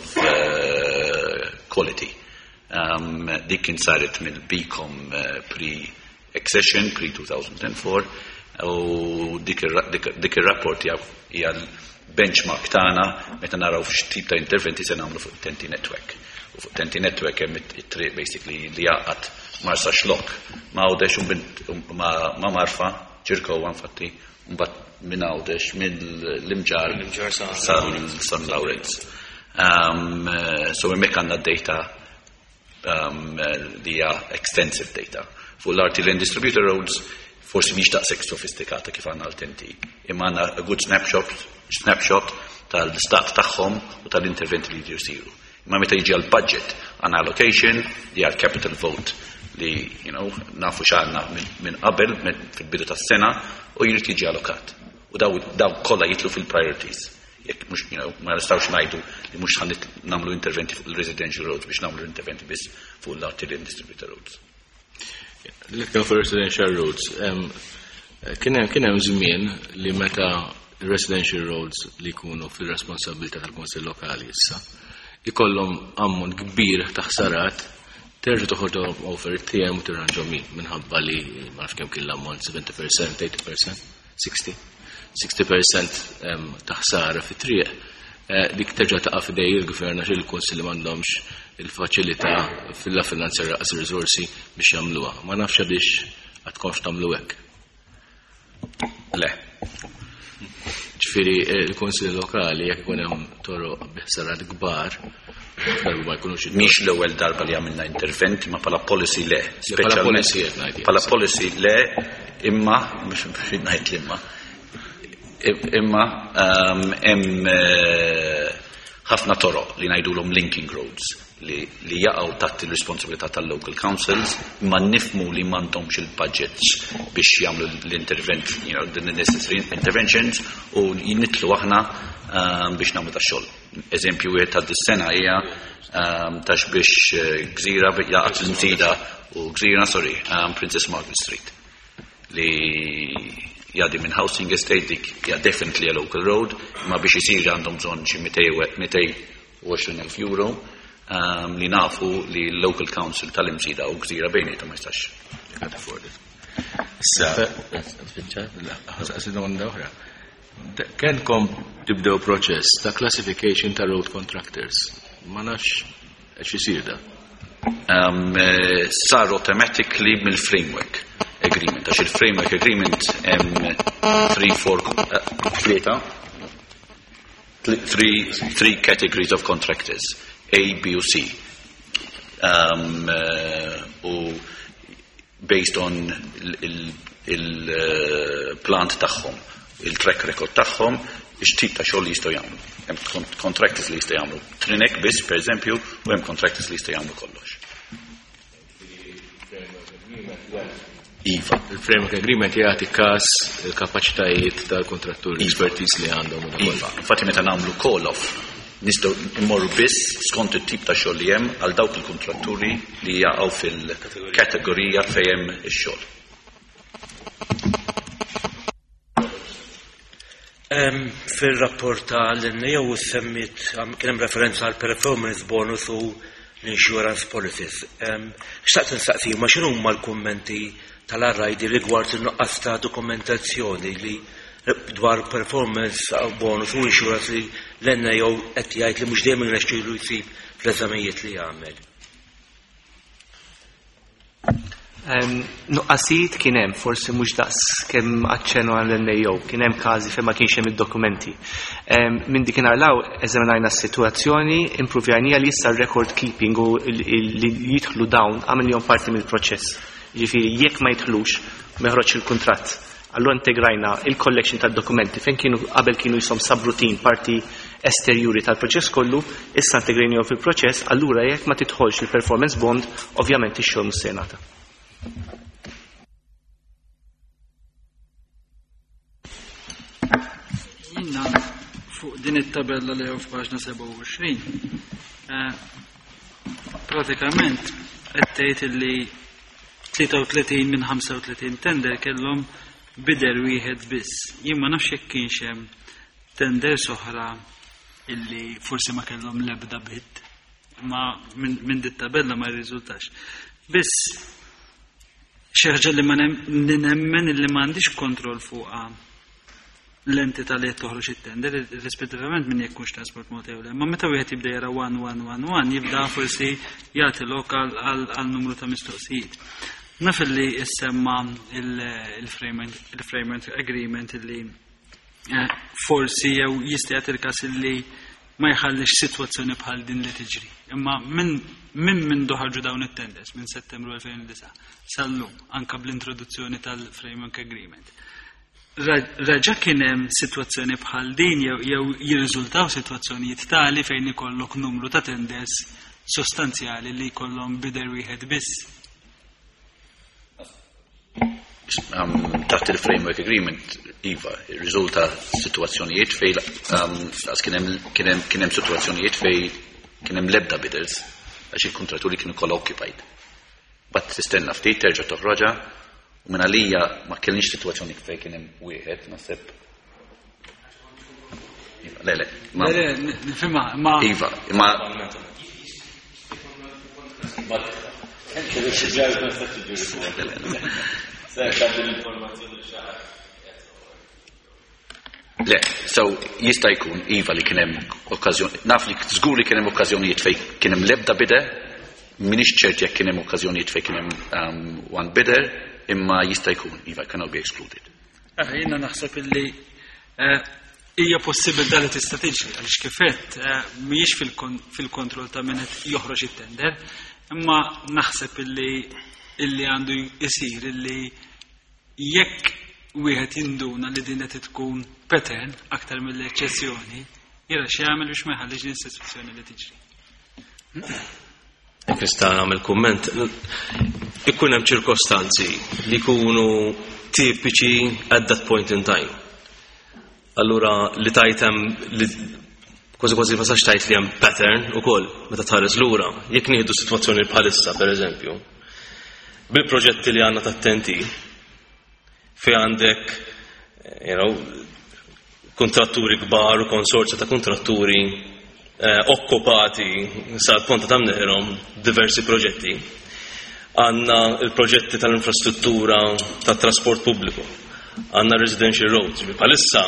quality. Dik kien saret mill-BCom pre-accession, pre-2004, u dik ir-rapport hija l-benchmark tagħna meta naraw x'tip ta' interventi se nagħmlu fuq TEN-T Network. U fuq TEN-T Network hemm it-triq basically li jgħaqqad Marsaxlokk ma' Għawdex u ma' Marfa, Ċirkewwa infatti, mbagħad minn Għawdex mill-Imġarr San Lawrenz. So hemmhekk għandna data li hija extensive data. Fuq l-arterial and distributor roads forsi mhix daqshekk sofistikata kif għandna l-TEN-T. Imma għandna a good snapshot tal-istat tagħhom u tal-interventi li jridu jsiru. Imma meta jiġi għal budget għandna allocation li għal capital vote li nafu x'għandna minn qabel fil-bidu tas-sena u jrid jiġi allokat. U daw kollha jitlu fil-priorities. Jekk mhux ma nistgħux ngħidu li mhux ħa nagħmlu interventi fuq il-residential roads biex nagħmlu interventi biss fuq l-arterial and distributor roads. L-iktar fuq residential roads, kien hemm żmien li meta residential roads li jkunu fil-responsabilità tal-Kunsill Lokali issa ikollhom ammont kbir ta' ħsarat terġa' toħorġhom over TM u tirranġhom minħabba li ma nafx kemm kien l-ammont 70%, 80%, 60, 60% ta' ħsara fit-triq. Dik terġa' taqa' f'idej il-gvern għax il-kunsilli m'għandhomx il-faċilità fil-finanzjar laqas ir-riżorsi biex jagħmluha. Ma nafx għaliex għadkomx tagħmlu hekk. Le. Ġifieri il-kunsilli lokali jekk ikun hemm toroq bi ħsarat kbar, darba ma jkunux Mhix l-ewwel darba li għamilna intervent, ma bħala policy le. Bħala policy qed ngħid. Bħala policy le, imma mhux ngħid l-imma. Imma hemm ħafna toroq li ngħidulhom linking roads li jaqgħu taħt il-responsabilità tal-local councils, imma nifhmu li m'għandhomx il-budgets biex jagħmlu l-intervent, the necessary interventions, u nitlu aħna biex nagħmlu tax-xogħol. Eżempju wieħed ta' dis-sena hija ta' biex Gżira jaqgħad l-Msida u Gżira, sorry, Princess Margaret Street li jgħaddi minn housing estate, dik hija definitely a local road, imma biex isir għandhom bżonn xi 220,000 euro li nafu li l-local council tal-Imsida u Gżira bejniethom ma jistax. Can't afford it. Issa, domanda oħra. Kenkom tibdew proċess ta' classification ta' road contractors. Ma nafx Qed isir da? Sar automatically mill-framework agreement, għax il-framework agreement hemm 3, 4, tlieta, three categories of contractors, A, B u C. U based on il-plant tagħhom, il-track record tagħhom, ix-tip ta' xogħol li jistgħu jagħmlu. Hemm contractors li jistgħu jagħmlu trinek biss, per eżempju, u hemm contractors li jistgħu jagħmlu kollox. Iva. Il-framework agreement jagħti każ il-kapaċitajiet tal-kontratturi, l-expertise li għandhom u dak Iva. Infatti meta nagħmlu call-off nistgħu immorru biss skont it-tip ta' xogħol li hemm għal dawk il-kontratturi li jaqgħu fil-kategorija fejn hemm ix-xogħol. Fil-rapport tal-NAO semmit kien hemm referenza għal performance bonus u l-insurance policies. Xtaqt nistaqsi ma x'inhu huma l-kummenti tal-RID rigward in-nuqqas ta' dokumentazzjoni li dwar performance bonus u insurance li l-NAO qed jgħid li mhux dejjem irnexxielu jsib fl-eżamijiet li jagħmel. Nuqqasijiet kien hemm, forsi mhux daqs kemm aċċennu għall-NAO, kien hemm każi fejn ma kienx hemm id-dokumenti. Minn dik inarlaw eżaminajna s-sitwazzjoni, impruvjajnija li issa record keeping u li jidħlu dawn għamilhom parti mill-proċess. Ġifieri jekk ma jidħlux ma joħroġx il-kuntratt. Allura integrajna il-collection tad-dokumenti fejn kienu qabel kienu jisom subroutine parti esterjuri tal-proċess kollu, issa integrajnihom fil-proċess, allura jekk ma tidħolx il-performance bond, ovvjament ix-xogħol mhux se jingħata. Jiena fuq din it-tabella li hawn f'paġna 27, pratikament qed tgħid illi 33 minn 35 tender kellhom bidder wieħed biss. Jien ma nafx jekk kienx hemm tenders oħra illi forsi ma kellhom l-ebda bid, ma minn dit tabella ma jirriżultax. Biss xi ħaġa li ma nemmen illi m'għandix kontroll fuqha l-entità li qed toħroġ it-tender, rispettivament minn jekk hux Transport Malta jew le. Ma meta wieħed jibda jara 1, 1, 1, 1, jibda forsi jagħti lok għal numru ta' mistoqsijiet. Naf li issemma il-framework agreement illi forsi jew jista' jagħti il-każ illi ma jħallix sitwazzjoni bħal din li tiġri. Imma minn ħarġu dawn it-tenders minn Settembru 2009 sal-lum anka bl-introduzzjoni tal-framework agreement. Reġa' kien hemm sitwazzjoni bħal din jew jirriżultaw sitwazzjonijiet tali fejn ikollok numru ta' tenders sostanzjali li jkollhom bidder wieħed biss. Taħt il-framework agreement, iva, riżulta sitwazzjonijiet fejn kien hemm sitwazzjonijiet fejn kien hemm lebda bidders għax il-kontratturi kienu kollha occupied. Bat tistenna ftit terġa' toħroġha u minn għalija ma kellniex sitwazzjoni fejn kien hemm wieħed, naħseb. Iva, le, le, ma Le, le, nifhimha, ma Iva, ma Le, so jista' jkun iva li kien hemm okkażjoni, naf li żgur li kien hemm okkażjonijiet fejn kien hemm l-ebda bidder, m'iniex ċert jekk kien hemm okkażjonijiet fejn kien hemm one bidder, imma jista' jkun iva cannot be excluded. Jiena naħseb illi hija possibilità li tista' tiġri għaliex kif għedt mhijiex fil-kontroll ta' min qed joħroġ it-tender, imma naħseb illi għandu jsir illi jekk wieħed jinduna li din qed tkun pattern aktar mill-eċċezzjoni, jara x'jagħmel biex ma jħallix din is-sitwazzjoni li tiġri. Jekk nista' nagħmel kumment, ikun hemm ċirkostanzi li jkunu tipiċi at that point in time. Allura li tajt hemm li kważi kważi ma sax tajt li hemm pattern ukoll meta tħares lura. Jekk nieħdu sitwazzjoni bħalissa pereżempju, bil-proġetti li għandna tat-TNT fejn għandek kontratturi kbar u konsorzja ta' kontratturi okkupati sal-ponta ta' mneħirhom diversi proġetti. Għandna il-proġetti tal-infrastruttura tat-trasport pubbliku, għandna residential roads, ġifieri bħalissa,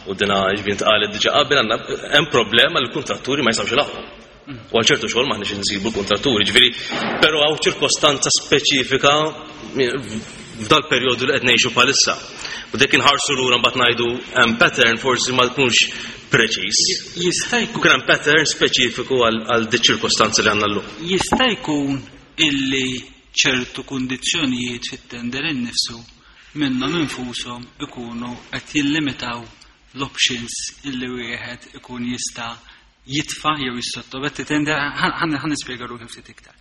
u dina ġifieri ntqalet diġà qabel, għandna hemm problema li l-kontratturi ma jistgħux ilaħħqu. U għal ċertu xogħol m'aħniex insibu l-kuntratturi, ġifieri, però hawn ċirkostanza speċifika f'dal perjodu li qed ngħixu bħalissa. U dik inħarsu lura mbagħad ngħidu hemm pattern forsi ma tkunx preċiż. Jista' jkun Kien hemm pattern speċifiku għal di ċirkostanzi li għandna llum. Jista' jkun illi ċertu kundizzjonijiet fit-tender innifsu minnhom infushom ikunu qed jillimitaw l-options illi wieħed ikun jista' jitfa' jew jissottometti tender. Ħa nispjega ruħi ftit iktar.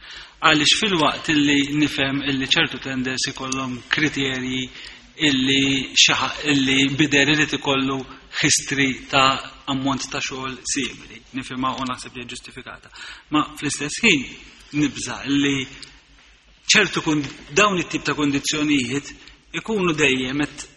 Għaliex filwaqt illi nifhem illi ċertu tenders ikollhom kriterji illi illi bidder irid ikollu history ta' ammont ta' xogħol simili, nifhimha u naħseb li ġustifikata. Ma fl-istess ħin nibża illi ċertu dawn it-tip ta' kondizzjonijiet ikunu dejjem qed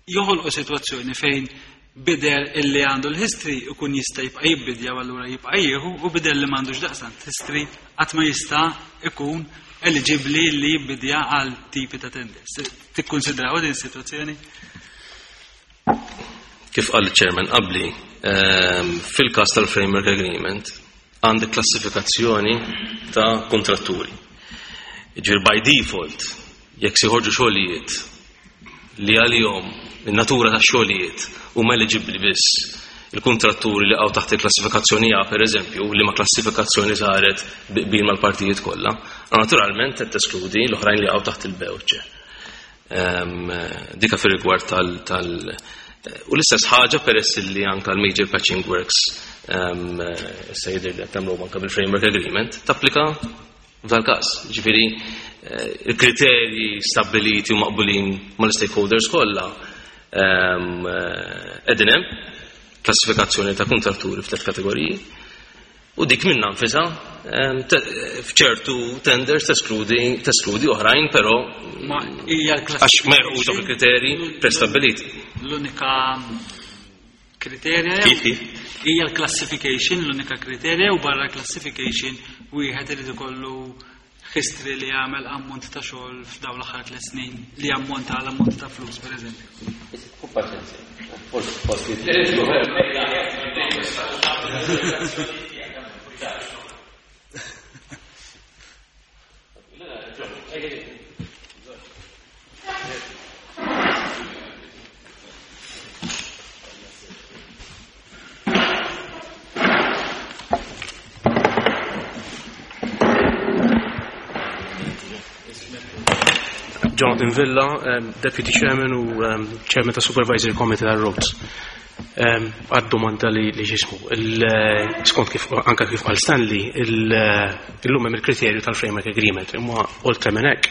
joħolqu sitwazzjoni fejn bidder illi għandu l-history ikun jista' jibqa' jibbidja u allura jibqa' jieħu, u bidder li m'għandux daqstant history qatt ma jista' ikun eligibbli li jibbidja għal tipi ta' tenders. Tikkonsidraw din is-sitwazzjoni? Kif qal il-chairman qabli, fil-każ tal-framework agreement għandek klassifikazzjoni ta' kontratturi. Ġifieri by default, jekk se joħorġu xogħlijiet li għalihom in-natura ta' xogħlijiet huma eligibbli biss il-kontratturi li għaw taħt il-klassifikazzjoni A, per eżempju, li ma klassifikazzjoni saret bil mal-partijiet kollha, naturalment qed teskludi l-oħrajn li għaw taħt il-B u C. Dika fir-rigward tal u l-istess ħaġa peress li anka l-major patching works issa jidher li qed nagħmlu anka bil-framework agreement tapplika f'dal-każ. Ġifieri il-kriterji stabbiliti u maqbulin mal-stakeholders kollha qegħdin hemm, klassifikazzjoni ta' kontratturi f'tliet kategoriji, u dik minna nfisha f'ċertu tenders teskludi oħrajn, però Ma hija għax ma jilħqux dawk il-kriterji prestabiliti. L-unika kriterja Kif, kif? Hija l-classification, l-unika kriterja, u barra classification wieħed irid ikollu history li jagħmel ammont ta' xogħol f'dawn l-aħħar 3 snin li ammonta għal ammont ta' flus, pereżempju. Forsi. Jonathan Villa, Deputy Chairman u Chairman ta' Supervisory Committee ta' Roads. Għad-domanda li ġismu, skont kif anka kif qal Stanley, illum hemm il-kriterju tal-Framework Agreement, imma oltre minn hekk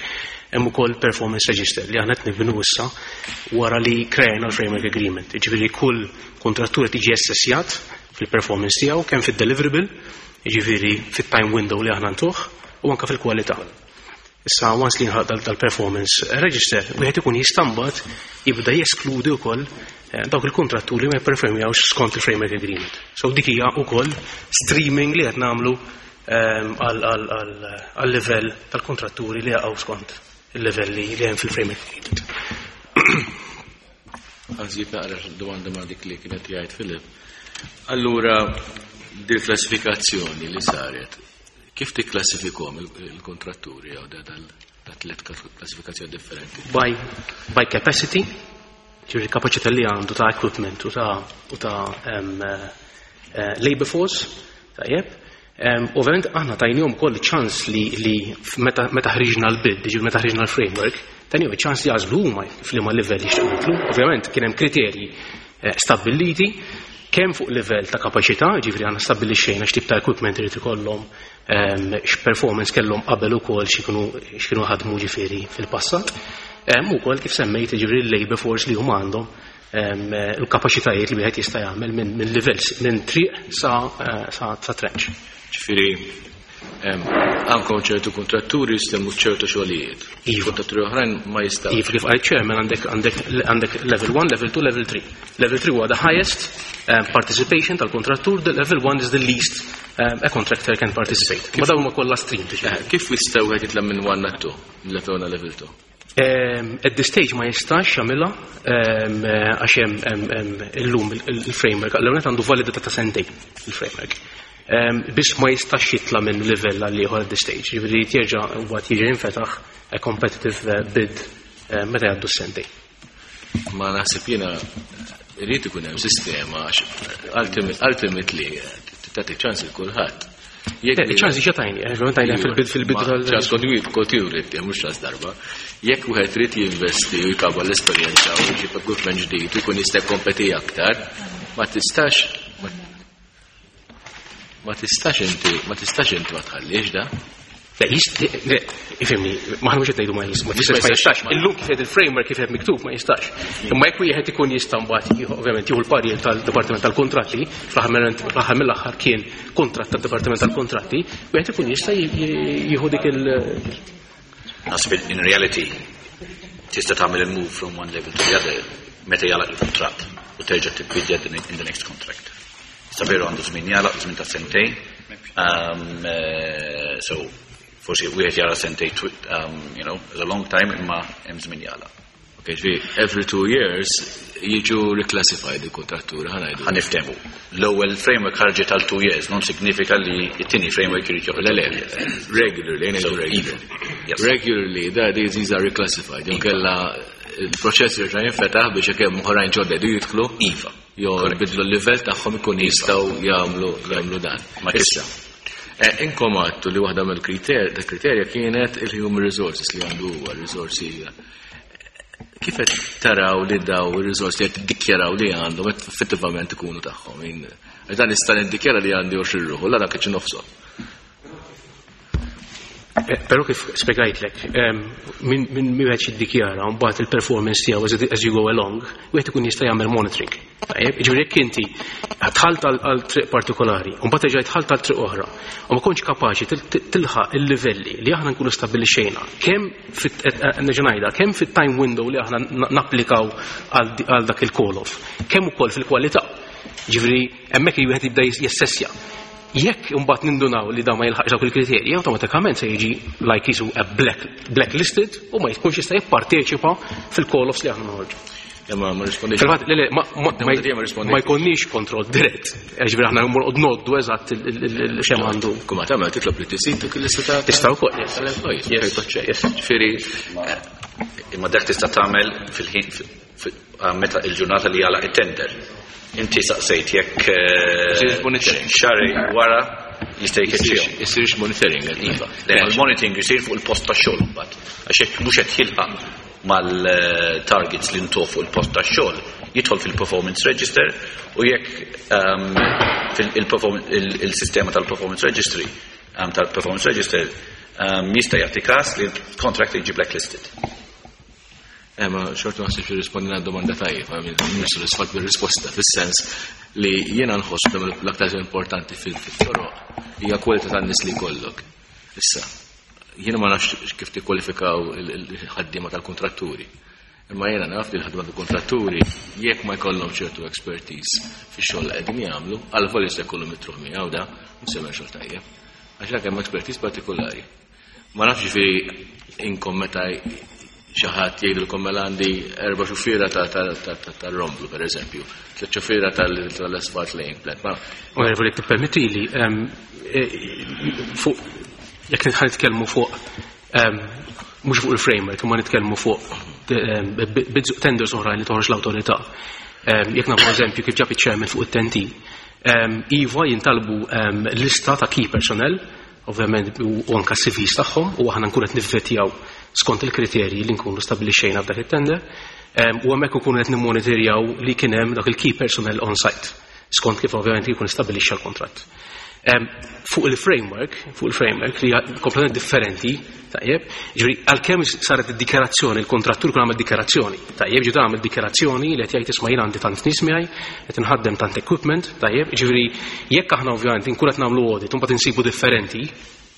hemm ukoll performance register li aħna qed nibnu issa wara li krejna l-Framework Agreement. Jiġifieri kull kontrattur qed jiġi assessjat fil-performance tiegħu kemm fid-deliverable, jiġifieri fit-time window li aħna ntuh, u anka fil-kwalità. Issa once li jinħalaq dal-performance register, wieħed ikun jista' mbagħad jibda jeskludi wkoll dawk il-kontratturi li ma jipperformjawx skont il-framework agreement. So dik hija wkoll streaming li qed nagħmlu għal livell tal-kontratturi li jaqgħu skont il-livelli li hemm fil-framework agreement. Għażid naqra domanda ma' dik li kienet jgħid Filip. Allura, di klassifikazzjoni li saret, kif tikklassifikhom il-kontratturi jew da tliet klassifikazzjoni differenti? By capacity, ġifieri kapaċità li għandu ta' equipment u ta' labor force, tajjeb. Ovvjament aħna tajnihom ukoll ċans li meta ħriġna l-bid, ġifieri meta ħriġna l-framework, tajnihom ċans li jagħżlu huma f'liema livell jixtiequ jidħlu. Ovvjament kien hemm kriterji stabbiliti kemm fuq livell ta' kapaċità, ġifieri aħna stabbilixxejna x'tip ta' equipment irid ikollhom, x'performance kellhom qabel ukoll x'kienu ħadmu ġifieri fil-passat. Ukoll kif semmejt ġifieri l-labor force li huma għandhom, il-kapaċitajiet li wieħed jista' jagħmel minn livell minn triq sa trench. Ġifieri anke ċertu kontratturi jistgħu ċertu xogħlijiet. Iva. Kontratturi oħrajn ma jistgħux. Iva, kif għal chairman għandek level 1, level 2, level 3. Level 3 huwa the highest participation tal-kontrattur, the level 1 is the least a contractor can participate. Ma dawn huma kollha stream. Kif jistgħu wieħed jitla' minn 1 għal 2, minn level 1 għal level 2? At this stage ma jistax jagħmilha, għax hemm illum il-framework, l għandu validità ta' sentejn il-framework. Biss ma jistax jitla minn livell għal ieħor at this stage. Jiġifieri jerġa' mbagħad jiġi jinfetaħ a competitive bid meta jgħaddu s-sentejn. Ma naħseb jiena irid ikun hemm sistema għax ultimately tagħti ċans il kulħadd. Ċans diġà tajni, tajni fil-bid fil-bid tal. Ċans kontinwi kontinwi mhux ċans darba. Jekk wieħed irid jinvesti u jkabbar l-esperjenza u jġib equipment ġdid u jkun jista' jkompeti aktar, ma tistax ma tistax inti ma tistax inti ma tħallix da. Le, le, ifhimni, ma ħanux qed ngħidu ma jista' ma tistax ma jistax. Illum kif qed il-framework kif qed miktub ma jistax. Imma jekk wieħed ikun jista' mbagħad ovvjament jieħu l-parir tal-Dipartiment tal-Kuntratti, fl-aħħar mill-aħħar kien kuntratt tad-Dipartiment tal-Kuntratti, wieħed ikun jista' jieħu dik il- Naħseb in reality tista' tagħmel il-move from one level to the other meta jagħlaq il-kuntratt u terġa' tibbidja in the next contract. Issa veru għandu żmien jagħlaq, żmien ta' sentejn. So forsi wieħed jara sentejn as a long time imma hemm żmien jagħlaq. Ok, ġifieri every 2 years jiġu reclassified il-kontratturi, ħa ngħidu. Ħa niftehmu. L-ewwel framework ħarġet għal 2 years, non signifika li t-tieni framework irid joħroġ. Le, regularly, ngħidu regularly. Regularly, da these are reclassified. Jew kella il-proċess jerġa' jinfetaħ biex jekk hemm oħrajn ġodda jdu jidħlu. Iva. Jew bidlu l-livell tagħhom ikun jistgħu jagħmlu dan. Ma issa. Inkom għadtu li waħda mill-kriterja kienet il-human resources li għandu huwa risorsi. Kif qed taraw li daw ir-risorsi li qed tiddikjaraw li għandhom qed effettivament ikunu tagħhom? Dan nista' niddikjara li għandi 20 ruħu, la dak nofsu. Però kif spjegajtlek, minn wieħed jiddikjara mbagħad il-performance tiegħu as you go along, wieħed ikun jista' jagħmel monitoring. Tajjeb, jiġifieri jekk inti dħalt għal triq partikolari, u mbagħad terġa' dħalt għal triq oħra, u ma kontx kapaċi tilħaq il-livelli li aħna nkunu stabbilixxejna, kemm nerġa' ngħidha, kemm fit-time window li aħna napplikaw għal dak il-call-off, kemm ukoll fil-kwalità. Ġifieri hemmhekk wieħed jibda jassessja. Jekk imbagħad nindunaw li da ma jilħaqx dawk il-kriterji, awtomatikament se jiġi like jisu a blacklisted u ma jkunx jista' jipparteċipa fil-call-offs li aħna noħorġu. Imma ma rispondix. Fil-fatt, le, ma jkollniex kontroll dirett. Ġifieri aħna mmorqod noddu eżatt x'hemm għandu. Kumma tagħmel titlob li tisit dik il-lista ta' Tista' wkoll, yes. tal-employees. Yes. Ġifieri Imma dak tista' tagħmel fil-ħin meta il-ġurnata li jagħlaq it-tender. Inti saqsejt jekk Isirx monitoring. xahar wara jista' jkeċċihom. Isirx monitoring. Iva. Le, il-monitoring jisir fuq il-post tax-xogħol imbagħad. Għax jekk mhux qed jilħaq mal-targets li ntuh fuq il-post tax-xogħol, jidħol fil-performance register u jekk il-sistema tal-performance registry tal-performance register jista' jagħti każ li l-contract jiġi blacklisted. Ma xorta ma ħsibx jirrispondi għal domanda tajjeb, mhux sodisfatt bir-risposta, fis-sens li jiena nħoss li l-aktar importanti fil-toroq hija kwalità tan-nies li jkollok. Issa, jiena ma nafx kif tikkwalifikaw il-ħaddiema tal-kontratturi. Imma jiena naf li l-ħaddiema tal-kontratturi jekk ma jkollhom ċertu expertise fix-xogħol li qegħdin jagħmlu, għal volja se jkollhom mitruħ miegħu da, mhux se jagħmel xogħol tajjeb. Għax dak hemm expertise partikolari. Ma nafx ġifieri inkom meta xi ħadd jgħidilkom mela għandi erba' xufiera tar-romblu pereżempju, tliet xufiera tal-asphalt laying plant. Ma Onorevoli, tippermettili, fuq jekk nitħan nitkellmu fuq mhux fuq il-framework, imma nitkellmu fuq bids tenders oħra li toħroġ l-awtorità. Jekk nagħmlu eżempju kif ġab iċ-chairman fuq it-TEN-T. Iva jintalbu lista ta' key personnel, ovvjament u anka CVs tagħhom, u aħna nkunu qed nivvetjaw skont il-kriterji li nkunu stabbilixxejna f'dak it-tender. U hemmhekk ikunu qed nimmonitorjaw li kien hemm dak il-key personnel on site skont kif ovvjament jkun stabbilixxa l-kontratt. Fuq il-framework li hija kompletament differenti, tajjeb, ġifieri għalkemm saret id-dikjarazzjoni, il-kontrattur kun għamel dikjarazzjoni, tajjeb, ġifieri għamel dikjarazzjoni li qed jgħid, isma', jien għandi tant nies miegħi, qed inħaddem tant equipment, tajjeb, ġifieri jekk aħna ovvjament inkun qed nagħmlu audit u mbagħad insibu differenti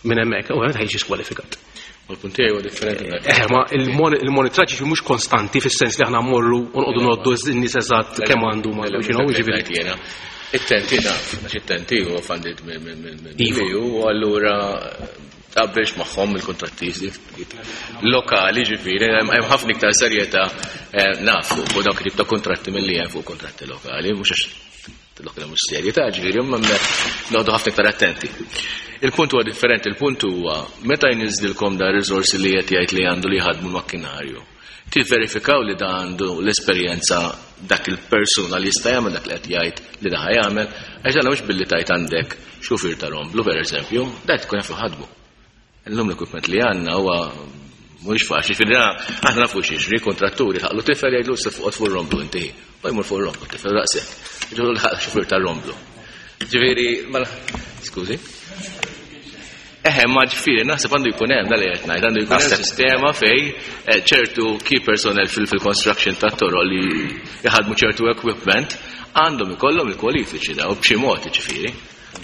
minn hemmhekk, ovvjament ħa jiġi skwalifikat. U l-punt tiegħi huwa differenti. Ma il-monitoraġġ mhux konstanti fis-sens li aħna mmorru u noqogħdu ngħoddu n-nies eżatt kemm għandu ma ġifieri. Jiena. It-TEN-T naf, għax it-TEN-T huwa funded minn Iva. EU u allura tqabbilx magħhom il-kontratti lokali ġifieri, hemm ħafna iktar serjetà naf fuq dawk it-tip ta' kontratti milli hemm fuq kontratti lokali, mhux għax Dak li mhux serji ta' ġifieri, imma hemmhekk noqogħdu ħafna iktar attenti. Il-punt huwa differenti, il-punt huwa meta jniżdilkom da riżorsi li qed jgħid li għandu li jħadmu makkinarju. Tivverifikaw li da għandu l-esperjenza dak il-persuna li jista' jagħmel dak li qed jgħid li da jagħmel, għax dan mhux billi tajt għandek xufier ta' romblu pereżempju, dak tkun jaf ħadmu. Illum l-equipment li għandna huwa mhuwiex faċli, ġifieri aħna nafu x'jiġri, kontratturi ħaqlu tifel jgħidlu se fuq fuq romblu inti. U jmur fuq romblu tifel daqshekk. Ġifieri l-ħaq xufier tar-romblu. Ġifieri, skużi. Eħe, ma ġifieri, naħseb għandu jkun hemm dal qed ngħid, għandu jkun hemm sistema fej eh, ċertu key personnel fil-construction tat-toroq li jħadmu ċertu equipment għandhom ikollhom il-kwalifiċi daw b'xi mod ġifieri.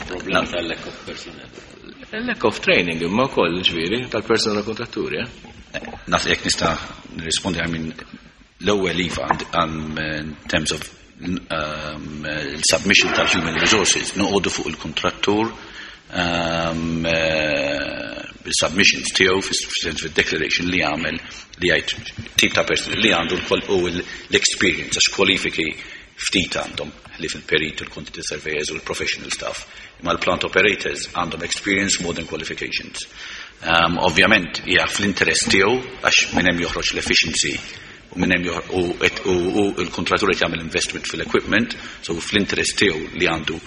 Problem tal-lack of personnel. Lack of training imma wkoll ġifieri tal-personal kontratturi. Eh? Naf jekk nista' nirrispondi I mean l-ewwel iva in terms of il-submission tal-human resources noqogħdu fuq il-kontrattur um, bil-submissions tiegħu fis-sens fid-declaration li jagħmel li jgħid tip ta' person li għandu u l-experience għax kwalifiki ftit għandhom li fil-perit, il-quantity surveyors u l-professional staff. Imma l-plant operators għandhom experience more than qualifications. Um, ovvjament, hija fl-interess tiegħu għax minn hemm joħroġ l-efficiency u minn hemm u u l-kontrattur qed jagħmel investment fil-equipment, so fl-interess tiegħu li għandu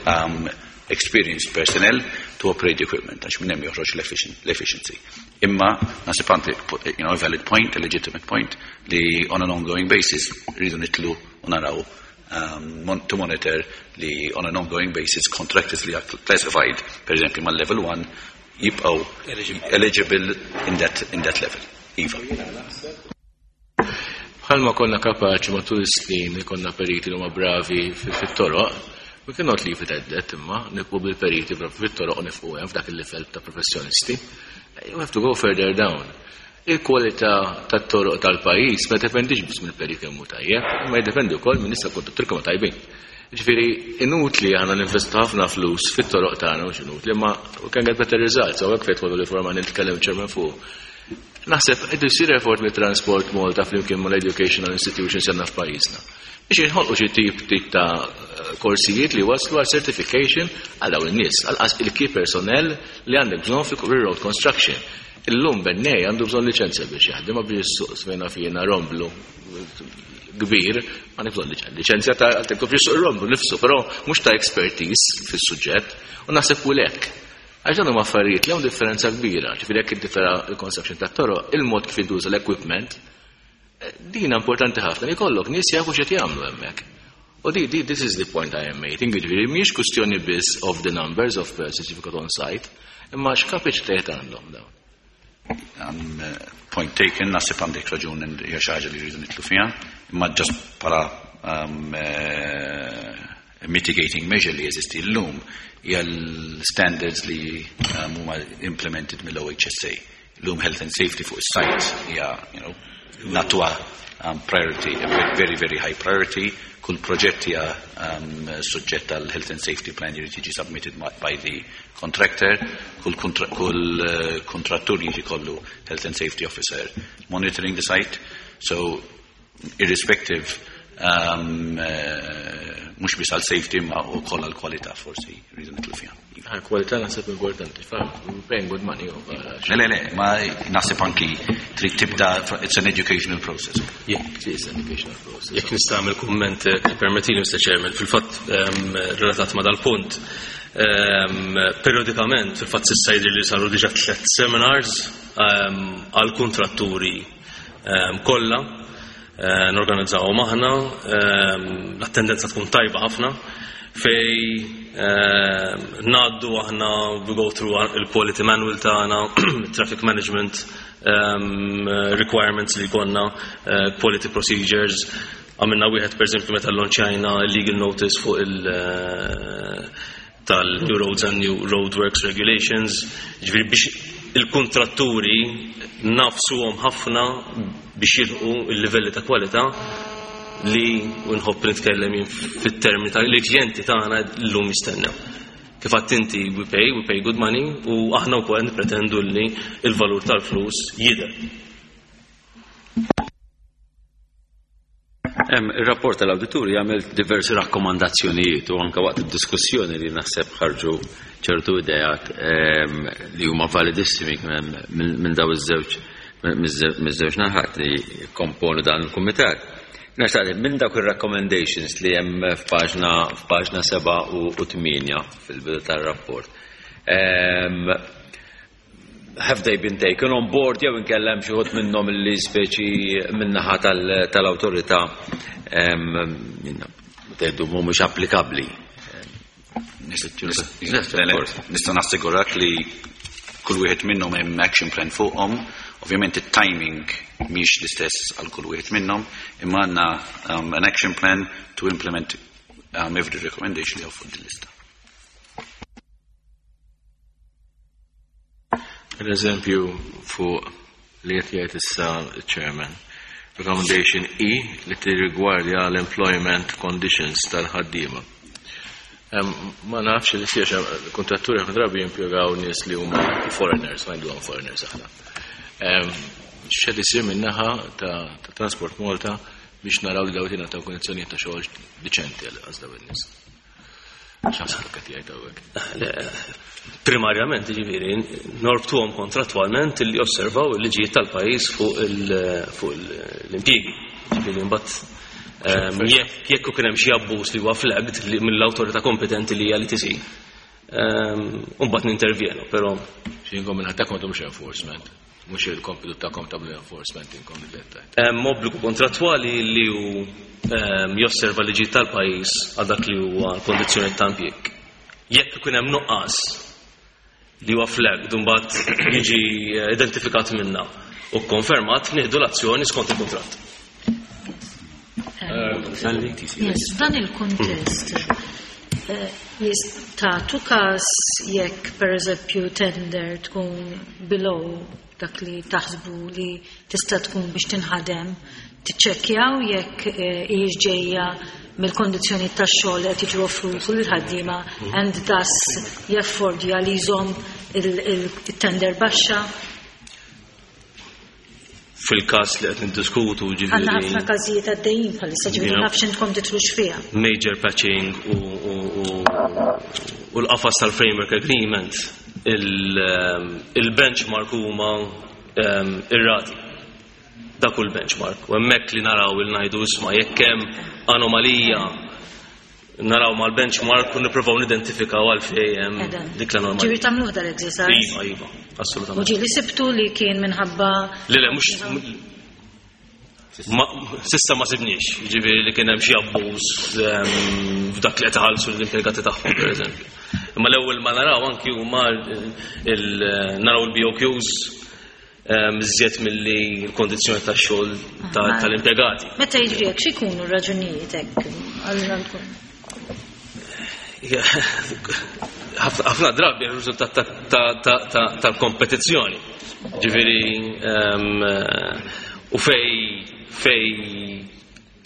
um, experienced personnel to operate the equipment għax minn hemm joħroġ l-efficiency. Imma naħseb għandi you know, a valid point, a legitimate point li on an ongoing basis rridu nitlu u naraw um, to monitor li on an ongoing basis contractors li are classified, per eżempju, mal level 1 jibqgħu eligible in that, in that level. Iva. Bħalma konna kapaċi matul is-snin li konna periti li huma bravi fit-toroq, we cannot leave it at that imma nibqu bil-periti fit-toroq u nifqu hemm f'dak il-livell ta' professjonisti. You have to go further down. Il-kwalità tat-toroq tal-pajjiż ma dependix biss mill-perit kemm hu tajjeb, imma jiddependi wkoll minn nisa kontrattur kemm tajbin. Ġifieri inutli aħna ninvestu ħafna flus fit-toroq tagħna mhux inutli, imma we can get better results, hawnhekk fejn tħollu li forma nitkellem ċermen fuq. Naħseb qed isir effort mit-Transport Malta flimkien mal-educational institutions għandna f'pajjiżna. Biex inħolqu xi tip tip ta' korsijiet li waslu għal certification għal dawn in-nies, għal il-key personnel li għandek bżonn fil-road construction. Illum bennej għandu bżonn liċenzja biex jaħdem ma biex suq smejna fjena romblu kbir, għandek bżonn liċenzja ta' għandek biex suq romblu nifsu, però mhux ta' expertise fis-suġġett u naħseb u lek. Għax dan huma affarijiet li hawn differenza kbira, ġifieri jekk inti tara l-construction tat-toroq, il-mod kif jintuża l-equipment, din importanti ħafna li jkollok nies jafu x'qed jagħmlu hemmhekk. U di, di, this is the point I am making, ġifieri mhijiex kwistjoni biss of the numbers of persons you've got on site, imma x'kapaċitajiet għandhom dawn. Um, point taken, naħseb għandek raġun hija xi ħaġa li rridu nitlu fiha, imma just bħala um, uh, mitigating measure li jeżisti llum hija l-standards li um, huma implemented mill-OHSA. Illum health and safety fuq is-site hija, you know, natwa um, priority, a very, very high priority. Kull proġett hija um, suġġett għal health and safety plan jrid jiġi submitted by the contractor. Kull, kontra kull uh, kontrattur jiġi kollu health and safety officer monitoring the site. So, irrespective um, uh, mhux biss għal safety ma wkoll għal kwalità forsi rridu nitlu fiha. Għal kwalità naħseb importanti, fa' paying good money. Le, le, le, ma naħseb anki trid tibda, it's an educational process. Yeah, it is an educational process. Jekk nista' nagħmel kumment eh, permettili Mr. Chairman, fil-fatt ehm, relatat ma' dal-punt, ehm, periodikament fil-fatt s'issa jidher li saru diġà tliet seminars ehm, għal kontratturi kollha eh, norganizzawhom aħna, l-attendenza tkun tajba ħafna fej ngħaddu aħna we go through il-quality manual tagħna, traffic management requirements li jkollna, eh, quality procedures. Għamilna wieħed per eżempju meta launchajna legal notice fuq il- eh, tal-New Roads and New Roadworks Regulations, ġifieri biex il-kontratturi nafsuhom ħafna biex jilħqu il-livelli ta' kwalità li nħobb nitkellem jien fit-termini ta' li klijenti tagħna llum jistennew. Kif għedt inti we pay, we pay good money u aħna wkoll nippretendu li il-valur tal-flus jidher. Ir-rapport tal-awdituri jagħmel diversi rakkomandazzjonijiet u anke waqt id-diskussjoni li naħseb ħarġu ċertu ideat li huma validissimi minn daw iż-żewġ miż-żewġ naħat li komponu dan il-kumitat. Naxtaq minn dawk ir-recommendations li hemm f'paġna f'paġna 7 u 8 fil-bidu tar-rapport. Have they been taken on board jew inkella hemm xi wħud minnhom li speċi min-naħa tal-awtorità tgħidu mhumiex applikabbli. Nista' nassigurak li kull wieħed minnhom hemm action plan fuqhom. Ovvjament it-timing mhix l-istess għal kull wieħed minnhom, imma għandna an action plan to implement every recommendation li hawn fuq din lista. Per eżempju, fuq li qed jgħid issa chairman, recommendation E li tirrigwardja l-employment conditions tal-ħaddiema. Ma nafx li siex kontratturi ħafna drabi jimpjegaw nies li huma foreigners, ma jgħidulhom foreigners aħna. X'qed isir min-naħa ta' Transport Malta biex naraw li dawn jingħataw kundizzjonijiet ta' xogħol diċenti għal dawn in-nies. X'naħseb qed jgħid hawnhekk. Primarjament, ġifieri, norbtuhom kontrattwalment li osservaw il-liġijiet tal-pajjiż fuq l-impjiegi. Ġifieri mbagħad jekk kien hemm xi abbuż li huwa flagged mill-awtorità kompetenti li hija l-ETC, mbagħad nintervjenu, però Xinkom minn ħadd mhux enforcement. Mhux il-kompitu tagħkom tagħmlu enforcement inkom id-dettaj. Hemm obbligu kontrattwali li hu josserva liġijiet tal-pajjiż għal dak li huwa l-kondizzjoni ta' impjieg. Jekk ikun hemm nuqqas li huwa flagged u mbagħad jiġi identifikat minna u konfermat, nieħdu l-azzjoni skont il-kuntratt. Yes, f'dan il-kuntest, tagħtu każ jekk per eżempju tender tkun below dak li taħsbu li tista' tkun biex tinħadem, tiċċekkjaw jekk hijiex ġejja mill-kondizzjoni tax-xogħol li qed jiġu offruti lill-ħaddiema and thus jaffordja li jżomm il-tender baxxa? Fil-każ li qed niddiskutu, ġifieri. Għandna ħafna każijiet għaddejjin bħalissa, ġifieri nafx intkom titlux fiha. Major patching u l-qafas tal-framework agreement, il-benchmark huma ir-rati. Dak hu l-benchmark. U hemmhekk li naraw il ngħidu isma' jekk hemm anomalija naraw mal-benchmark u nippruvaw nidentifikaw għalfejn hemm dik l-anomalija. Ġifieri tagħmluh dal-exercise? Iva, iva, assolutament. U ġieli sibtu li kien minħabba Le, le, mhux sissa ma sibniex, ġifieri li kien hemm xi abbuż f'dak li qed iħallsu l-impjegati tagħhom, pereżempju. Imma l-ewwel ma naraw anki huma naraw il-BOQs iżjed milli l-kondizzjoni tax-xogħol tal-impjegati. Meta jiġri hekk x'ikunu r-raġunijiet hekk? Ħafna drabi r-riżultat tal-kompetizzjoni. Ġifieri u fej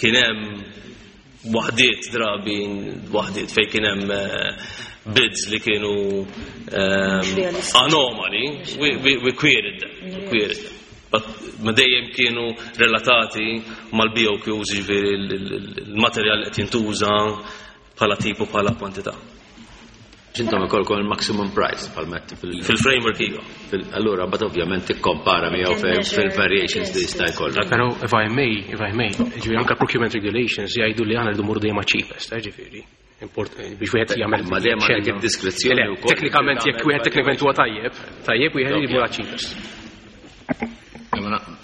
kien hemm waħdiet drabi waħdiet fej kien hemm bids li kienu anomali, we queried them, we queried them. But ma dejjem kienu relatati mal-BOQs, ġifieri l-materjal li qed jintuża bħala tipu bħala kwantità. X'intom ikolkom il-maximum price bħal fil-framework iva. Allura, but ovvjament tikkompara miegħu fil-variations li jista' jkollok. Però if I may, ġifieri anke procurement regulations jgħidu li aħna rridu mmorru dejjem cheapest, ġifieri. Biex wieħed jagħmel Ma dejjem għandek id-diskrezzjoni wkoll. Teknikament jekk wieħed teknikament huwa tajjeb, tajjeb wieħed jmur cheapest.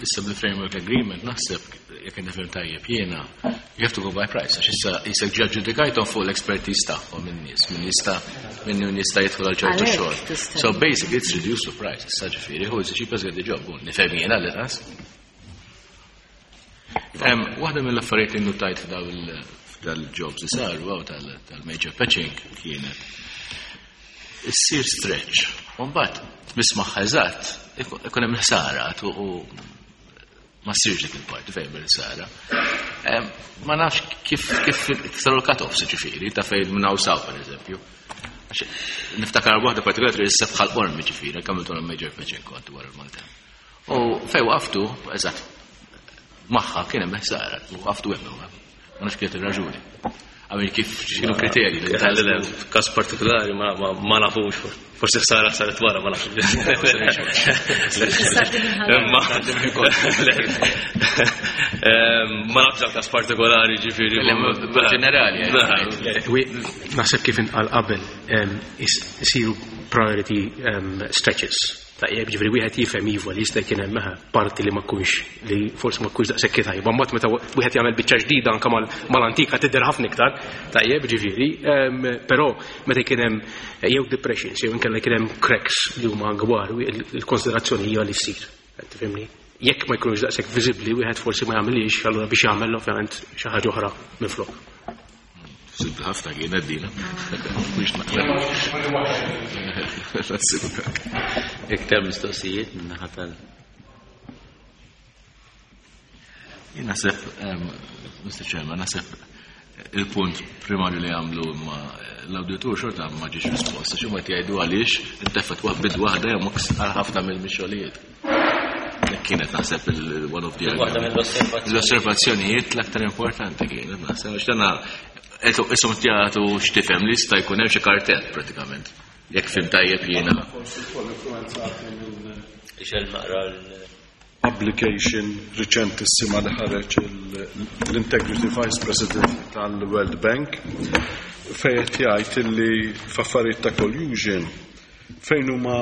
Issa bil-framework agreement naħseb jekk nifhem tajjeb jiena you have to go by price għax issa jisek ġa ġudikajthom fuq l-expertise tagħhom in-nies min jista' min jista' jidħol għal ċertu xogħol. So basically it's reduced to price. Issa ġifieri who is the cheapest get the job. Nifhem jiena li tas. Waħda mill-affarijiet li nnotajt f'dal-jobs li saru għaw tal-major patching kienet issir stretch. U mbagħad tmiss magħha eżatt ikun hemm ħsara u ma ssirx dik il-parti fejn bil-ħsara. Ma nafx kif kif saru l-cut-offs ġifieri ta' fejn minn hawn saw pereżempju. Niftakar waħda partikolari li issa bħal Qormi ġifieri, kemm intom major patching kont wara l-Malta. U fejn waqaftu, eżatt, magħha kien hemm ħsara, waqaftu hemm. Ma nafx kienet ir-raġuni. Għamil kif x'kienu kriterji li Le, każ partikolari ma nafux. Forsi ħsara saret wara, ma nafx. Imma ma nafx għal każ partikolari ġifieri. Ġenerali. Naħseb kif intqal qabel isiru priority stretches. Tajjeb, ġifieri wieħed jifhem iva li jista' jkun hemm parti li ma tkunx li forsi ma tkunx daqshekk tajba. Mbagħad meta wieħed jagħmel biċċa ġdida anke mal-antika tidher ħafna iktar, tajjeb, ġifieri, però meta jkun hemm jew depressions jew inkella jkun hemm cracks li huma kbar, il-konsiderazzjoni hija li ssir. Tifhimni? Jekk ma jkunux daqshekk viżibbli, wieħed forsi ma jagħmilx, allura biex jagħmel ovvjament xi ħaġa oħra minflok. Sibda ħafna kienet dina. Mhux naqra. Iktar mistoqsijiet minn naħa tal. Jien naħseb, Mr. Chairman, naħseb il-punt primarju li għamlu ma l-auditur xorta ma ġiex risposta, xi ma jgħidu għaliex intefet bid waħda jew għal ħafna mill-mixolijiet. Kienet naħseb il-one of the Waħda mill-osservazzjonijiet. L-osservazzjonijiet l-aktar importanti kienet naħseb għax dana isom jagħtu x'tifhem li jista' jkun hemm xi kartell pratikament. Jekk fim tajjeb jiena. Forsi wkoll influenzati minn Ixel naqra l- publication riċentissima li ħareġ l-Integrity Vice President tal-World Bank fejn qed jgħid illi f'affarijiet ta' collusion fejn huma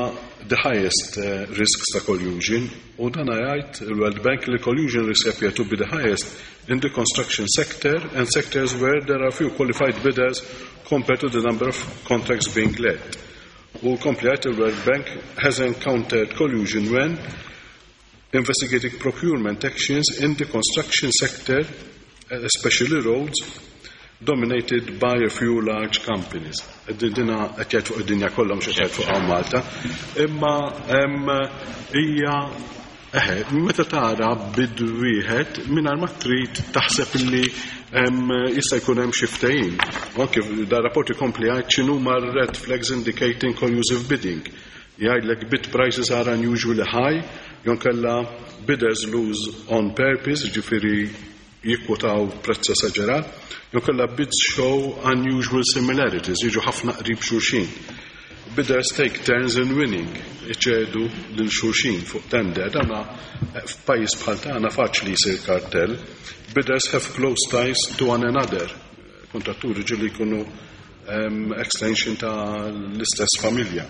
the highest risks ta' collusion, u dan jgħid il-World Bank li collusion risks appear to be the highest in the construction sector and sectors where there are few qualified bidders compared to the number of contracts being let. U kompli jgħid il-World Bank has encountered collusion when investigating procurement actions in the construction sector, especially roads, dominated by a few large companies. Dina qed jgħid fuq id-dinja kollha, mhux qed jgħid fuq hawn Malta. Imma hija eħe, meta tara bid wieħed mingħajr ma trid taħseb illi jista' jkun hemm xi ftehim. U anke da rapport ikompli jgħid x'inhuma red flags indicating collusive bidding. Jgħidlek bid prices are unusually high, jew kellha bidders lose on purpose, ġifieri jikkwotaw prezz esaġerat, jew kellha bids show unusual similarities, jiġu ħafna qrib xulxin. Bidders take turns in winning, iċedu lil xulxin fuq tender. Dana f'pajjiż bħal tagħna faċli jsir kartell. Bidders have close ties to one another. Kontratturi ġieli jkunu extension ta' l-istess familja.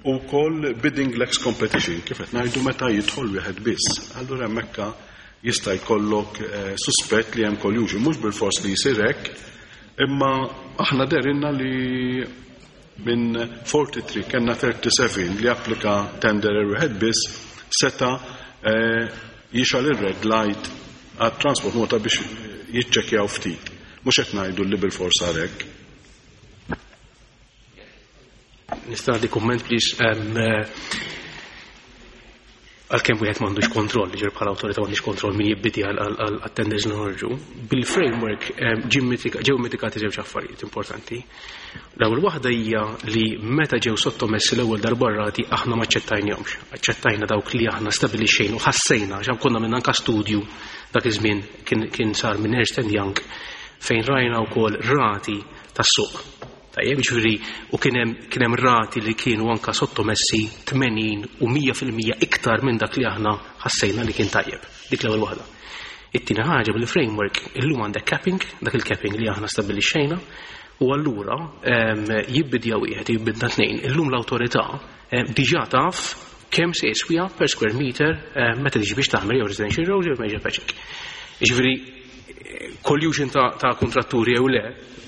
U koll bidding lacks competition, kif qed ngħidu meta jidħol wieħed biss. Allura hemmhekk jista' jkollok suspett li hemm collusion, mhux bil-fors li jsir hekk, imma aħna derinna li minn 43 kellna 37 li applika tender wieħed biss seta' jixgħel ir-red light għat Transport Malta biex jiċċekkjaw ftit. Mhux qed ngħidu li bil-fors hekk. Nista' nagħti kumment, please. Għalkemm wieħed m'għandux kontroll, ġifieri bħala awtorità m'għandix kontroll min jibbidi għal-tenders li noħorġu. Bil-framework ġew mitigati żewġ affarijiet importanti. L-ewwel waħda hija li meta ġew sottomessi l-ewwel darba rati aħna ma aċċettajnihomx. Aċċettajna dawk li aħna stabilixxejna u ħassejna, għax konna minn anka studju dak iż-żmien kien sar minn Ernst and Young fejn rajna wkoll rati tas-suq. Tajjeb, ġifieri, u kien hemm rati li kienu anka sottomessi 80 u 100% iktar minn dak li aħna ħassejna li kien tajjeb. Dik l-ewwel waħda. It-tieni ħaġa bil-framework illum għandek capping, dak il-capping li aħna stabbilixxejna, u allura jibbidja wieħed, jibbidna tnejn. Illum l-awtorità diġà taf kemm se jiswija per square meter meta tiġi biex taħmel jew residential roads jew major patching. Ġifieri, collusion ta' kontratturi jew le,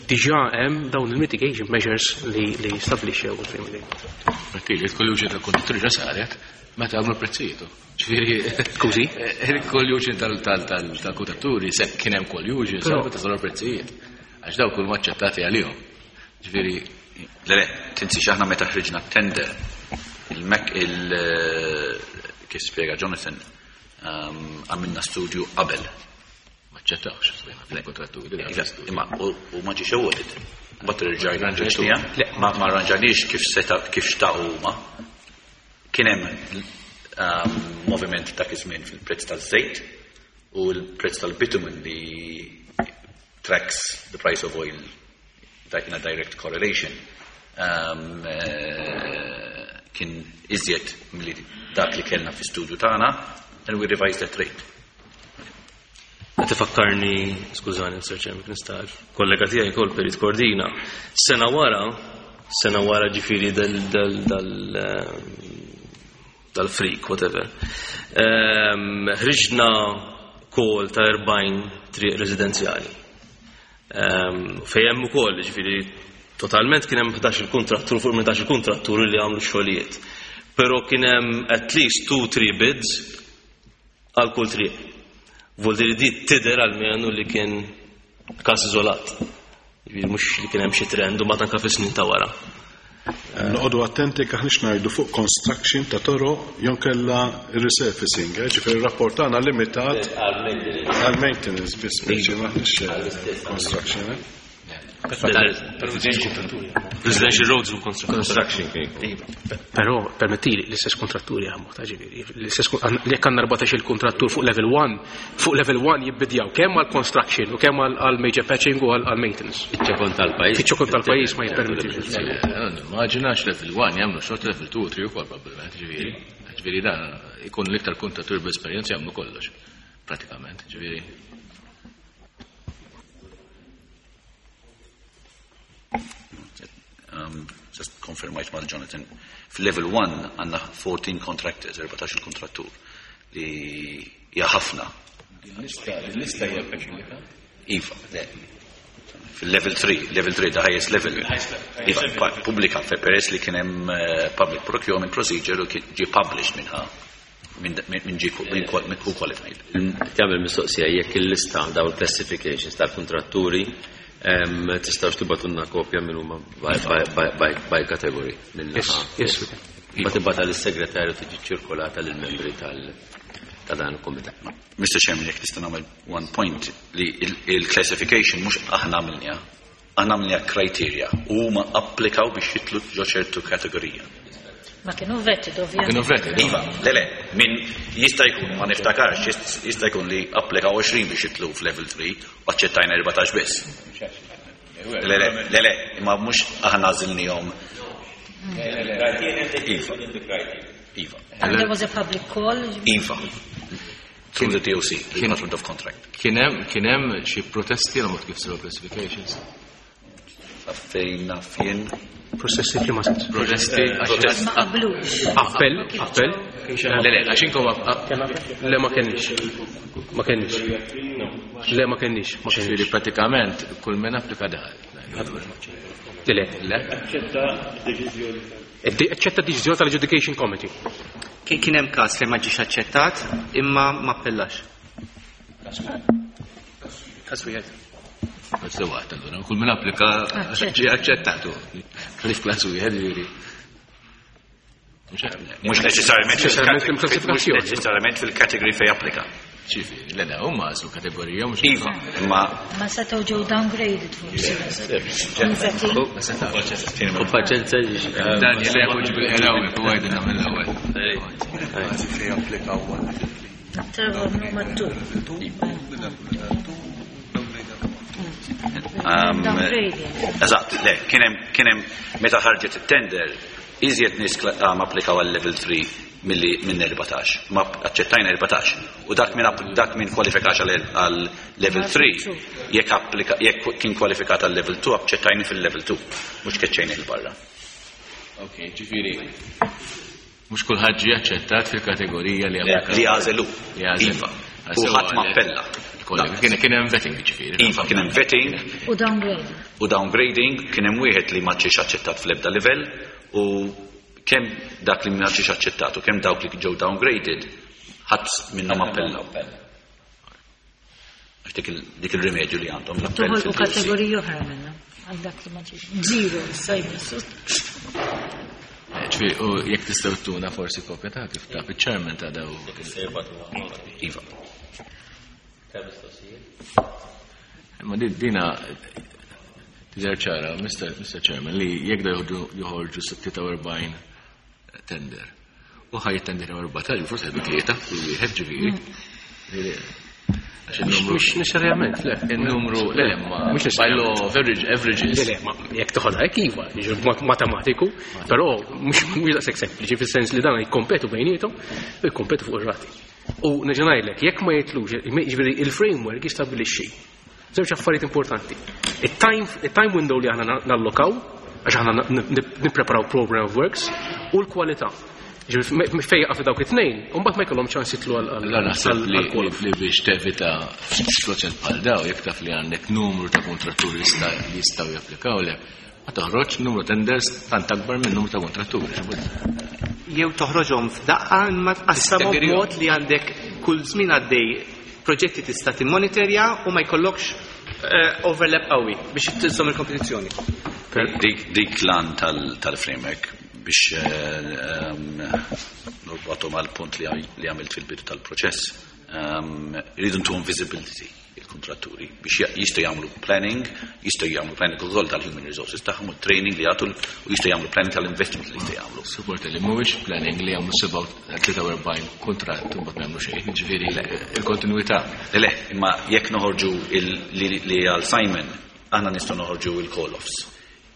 diġà hemm dawn il-mitigation measures li stabbilixxew il-framework. Martili, il-collusion ta' kontratturi ġa saret meta għamlu prezzijiet. Ġifieri, Skużi? Il-collusion tal-kontratturi se kien hemm collusion, Però saret meta saru prezzijiet. Għax dawk kull maċċettati għalihom. Ġifieri, Le, le, tinsiex aħna meta ħriġna tender, il-mek il kif spjega Jonathan, għamilna studju qabel. Maċċettawx, il-kontratturi, Le, għamilna studju. Imma, u ma ġiex awarded. Mbagħad rġajna Rranġajtu. ġejna. Le. Ma rranġajniex kif seta' kif xtaqu huma. Kien hemm moviment dak iż-żmien fil-prezz taż-żejt u l-prezz tal-bitumen li tracks the price of oil in a direct correlation, kien iżjed milli dak li kellna fi studju tagħna, and we revised that rate. Qed ifakkarni, skużani, Mr. Chairman, nista' kollega tiegħi kol Perit Cordina, sena wara, sena wara ġifieri dal dal dal dal-freak, whatever. Ħriġna call ta' 40 triq residenzjali. Fejn hemm ukoll, ġifieri totalment kien hemm 11 il-kontrattur fuq 11 il-kontrattur li għamlu xogħlijiet. Però kien hemm at least 2-3 bids għal kull triq. Vuol dire di tidher almenu li kien każ iżolat. Ġifieri mhux li kien hemm xi trend u ma tanka fis-snin ta' wara. Noqogħdu attenti kif ngħidu fuq construction ta' toroq jew kella resurfacing, ġifieri ir-rapport tagħna limitat għal maintenance biss, speċi m'aħniex construction. Residential roads u construction. Però permettili l-istess kontratturi jaħdmu, ta' ġifieri, l-istess jekk għandna 14 il-kontrattur fuq level 1, fuq level 1 jibbidjaw kemm għal construction u kemm għal major patching u għal maintenance. Fiċ-ċokon tal-pajjiż. Fiċ-ċokon tal-pajjiż ma jippermettix. Immaġina level 1 jagħmlu xogħol level 2 u 3 ukoll probabbilment, ġifieri. Ġifieri dan ikun l-iktar kontrattur b'esperjenza jagħmlu kollox, pratikament, ġifieri. Just konfermajt mal Jonathan. Fil-level 1 għandna 14 contractors, 14 kontrattur li hija ħafna. Il-lista hija pubblika? Iva, le. Fil-level 3, level 3, the highest level. Iva, pubblika, peress li kien hemm public procurement procedure u kien ġie published minnha minn ġie minn who qualified. Tagħmel mistoqsija jekk il-lista daw il-classifications tal-kontratturi tistgħux tibgħatulna kopja minn huma by category minn Yes, naħa. yes, we can. Ma tibgħatha lis-segretarju tiġi ċirkolata lill-membri ta' dan il-kumitat. Mr. Chairman, jekk nista' nagħmel one point li il-classification mhux aħna għamilniha, aħna għamilniha criteria u huma applikaw biex jitlu ġo ċertu kategorija. Ma kienu vetted, ovvjament. Kienu vetted. Iva, le, le, min jista' jkun, ma niftakarx, jista' jkun li applikaw 20 biex jitlu f'level 3 u aċċettajna 14 biss. Le, le, le, le, imma mhux aħna għażilnihom. Iva. Iva. And there was a public call? Iva. Through the DOC, the Department of Contract. Kien hemm xi protesti għal mod kif saru classifications? Fejn naf jien. Protesti f'liema sens? Protesti, Protesti. Ma qablux. Appell, appell. Le, le, għax inkom Le, ma kenniex. Ma kenniex. Le, ma kenniex, ma kenniex. Ġifieri pratikament kull min applika daħal. Le, le. Le? Aċċetta deċiżjoni. Aċċetta deċiżjoni tal-Adjudication Committee. Kien hemm każ fejn ma ġiex aċċettat imma ma appellax. Każ wieħed. Bas waqt allura, kull min applika ġie aċċettatu. Ħlief klass wieħed ġifieri. Mhux neċessarjament Neċessarjament fil-kategorija, mhux fil-klassifikazzjoni. neċessarjament fil-kategorija fejn applika. Ġifieri, le, le, huma għażlu kategorija mhux Iva, imma Ma setgħu ġew downgraded forsi. U paċenza Daniel jgħu bil-ħelawi, u għajdina mill-ewwel. Fejn applikaw Trevor nummer 2. Downgrading. Eżatt, le, kien hemm meta ħarġet it-tender, iżjed nies applikaw għal level 3 milli minn 14. Ma aċċettajna 14. U dak min kwalifikax għal level 3, jekk kien kwalifikat għal level 2, aċċettajni fil-level 2, mhux keċċejni il-barra. Ok, ġifieri. Mhux kulħadd ġie aċċettat fil-kategorija li applika. Li għażelu. Li għażelu. Iva. U ħadd ma appella. Kollega, kien hemm vetting ġifieri. Iva, kien hemm vetting. U downgrading. U downgrading, kien hemm wieħed li ma ġiex aċċettat fl-ebda livell u kemm dak li ma ġiex aċċettat u kemm dawk li ġew downgraded, ħadd minnhom appellaw. Għax dik il-rimedju li għandhom l-appell Toħolqu fil-DOC. kategoriji oħra minnhom. Għal dak li ma ġiex. Zero, issa jmissu. Ġifieri, u jekk tistgħu tuna forsi kopja ta' kif ta' iċ-chairman ta' daw. Iva. Ma dina tidher ċara, Mr. Chairman, li jekk da joħorġu 46 tender. U ħaj tender 14, forsi ħadu tlieta, kull wieħed ġifieri. Mhux neċessarjament, le. Il-numru, le, le, ma. Mhux By law of averages. Le, le, ma jekk toħodha hekk iva, jiġri b'mod matematiku, però mhux daqshekk sempliċi fis-sens li dan jikkompetu bejniethom u jikkompetu fuq ir-rati. U nerġa' ngħidlek, jekk ma jitlux, jiġifieri il-framework jistabbilixxi żewġ affarijiet importanti. Il-time window li aħna nallokaw, għax aħna nippreparaw program of works, u l-kwalità. Fejn jaqa' dawk it-tnejn, u mbagħad ma jkollhom ċans jitlu għal La naħseb li biex tevita situazzjoni bħal daw, jekk taf li għandek numru ta' kontratturi li jistgħu japplikaw le, ma toħroġ numru tenders tant akbar minn numru ta' kontratturi. Jew toħroġhom f'daqqa imma tqassamhom b'mod li għandek kull żmien għaddej proġetti tista' timmonitorja u ma jkollokx overlap qawwi biex tiżżomm il-kompetizzjoni. Dik lan tal-framework biex norbatu mal-punt li għamilt fil-bidu tal-proċess. Irridu ntuhom visibility il-kontratturi biex jistgħu jagħmlu planning, jistgħu jagħmlu planning ukoll tal-human resources tagħhom u training li jagħtu u jistgħu jagħmlu planning tal-investment li jistgħu jagħmlu. Support li mhuwiex planning li jagħmlu 43 kuntratt u mbagħad ma jagħmlu xejn, jiġifieri il-kontinwità. Le, le, imma jekk noħorġu li għal Simon aħna nistgħu noħorġu il-call-offs.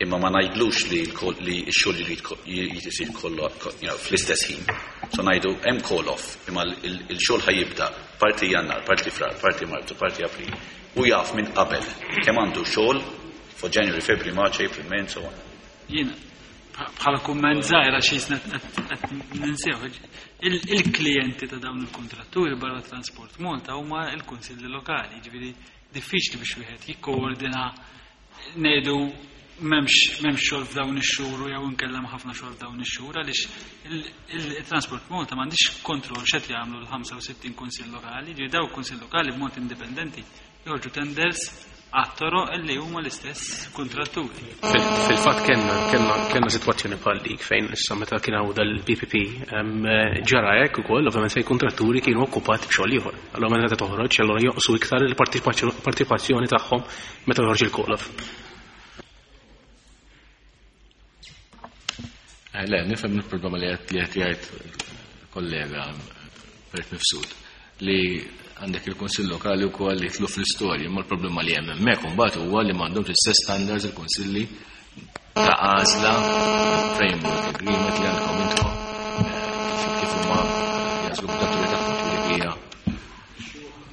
Imma ma ngħidlux li x-xogħol jrid isir kollu fl-istess ħin. So ngħidu hemm call-off, imma il-xogħol ħajibda parti Jannar, parti Frar, parti Marzu, parti April. U jaf minn qabel kemm għandu xogħol for January, February, March, April, May and so on. Jiena bħala kumment żgħir għax jisna qed ninsew il-klijenti ta' dawn il-kontratturi barra Transport Malta huma l-kunsilli lokali, jiġifieri diffiċli biex wieħed jikkoordina ngħidu m'hemmx xogħol f'dawn ix-xhur jew inkella hemm ħafna xogħol f'dawn ix-xhur għaliex il-Transport Malta m'għandix kontroll x'qed jagħmlu l-65 kunsill lokali, ġifieri dawk kunsill lokali b'mod indipendenti joħorġu tenders għat-toroq illi huma l-istess kontratturi. Fil-fatt kellna sitwazzjoni bħal dik fejn issa meta kien hawn dal-PPP ġara hekk ukoll, ovvjament fejn kontratturi kienu okkupati b'xogħol ieħor. Allura meta toħroġ, allura jonqsu iktar il-partiċipazzjoni tagħhom meta toħroġ il-call-off. Le, nifhem il-problema li qed jgħid kollega Bert Mifsud li għandek il-Kunsill Lokali wkoll li jitlu fl-istorja, imma l-problema li hemm hemmhekk imbagħad huwa li m'għandhomx l-istess standards il-kunsilli ta' għażla framework agreement li għandkom intkom kif huma jagħżlu kontratturi tagħhom, ġifieri hija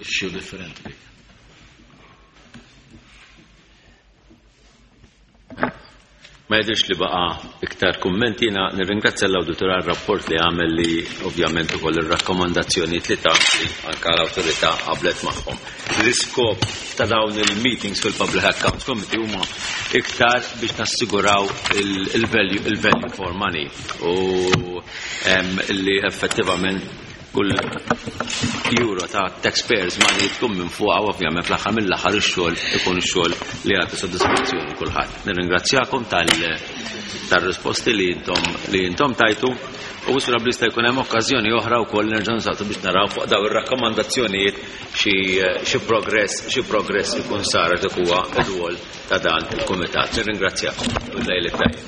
issue differenti dik. Ma jidhirx li baqa' iktar kummenti. Jiena nirringrazzja l-awditur għar-rapport li għamel li ovvjament ukoll ir-rakkomandazzjonijiet li ta li anke l-awtorità qablet magħhom. L-iskop ta' dawn il-meetings fil-Public Accounts Committee huma iktar biex nassiguraw il-value for money u li effettivament kull euro ta' taxpayers money tkun minn fuqha u ovvjament fl-aħħar mill-aħħar ix-xogħol ikun ix-xogħol li jagħti sodisfazzjoni kulħadd. Nirringrazzjakom tal-risposti li intom tajtu u wisra bli jista' jkun hemm okkażjoni oħra wkoll nerġgħu nsaqsu biex naraw fuq daw ir-rakkomandazzjonijiet xi progress ikun sar dak huwa r-rwol ta' dan il-kumitat. Nirringrazzjakom u lejl it-tajjeb.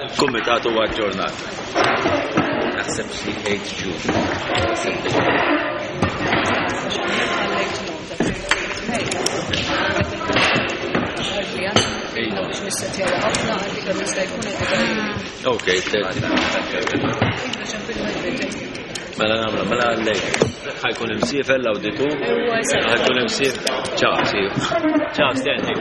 Il-kumitat huwa aġġornat. Naħseb xi 8 June. Ok, Mela nagħmlu, mela għallej. Ħajkun imsiefer l-awditur. Ħajkun imsiefer. Ciao, see you. Ciao, Stanley.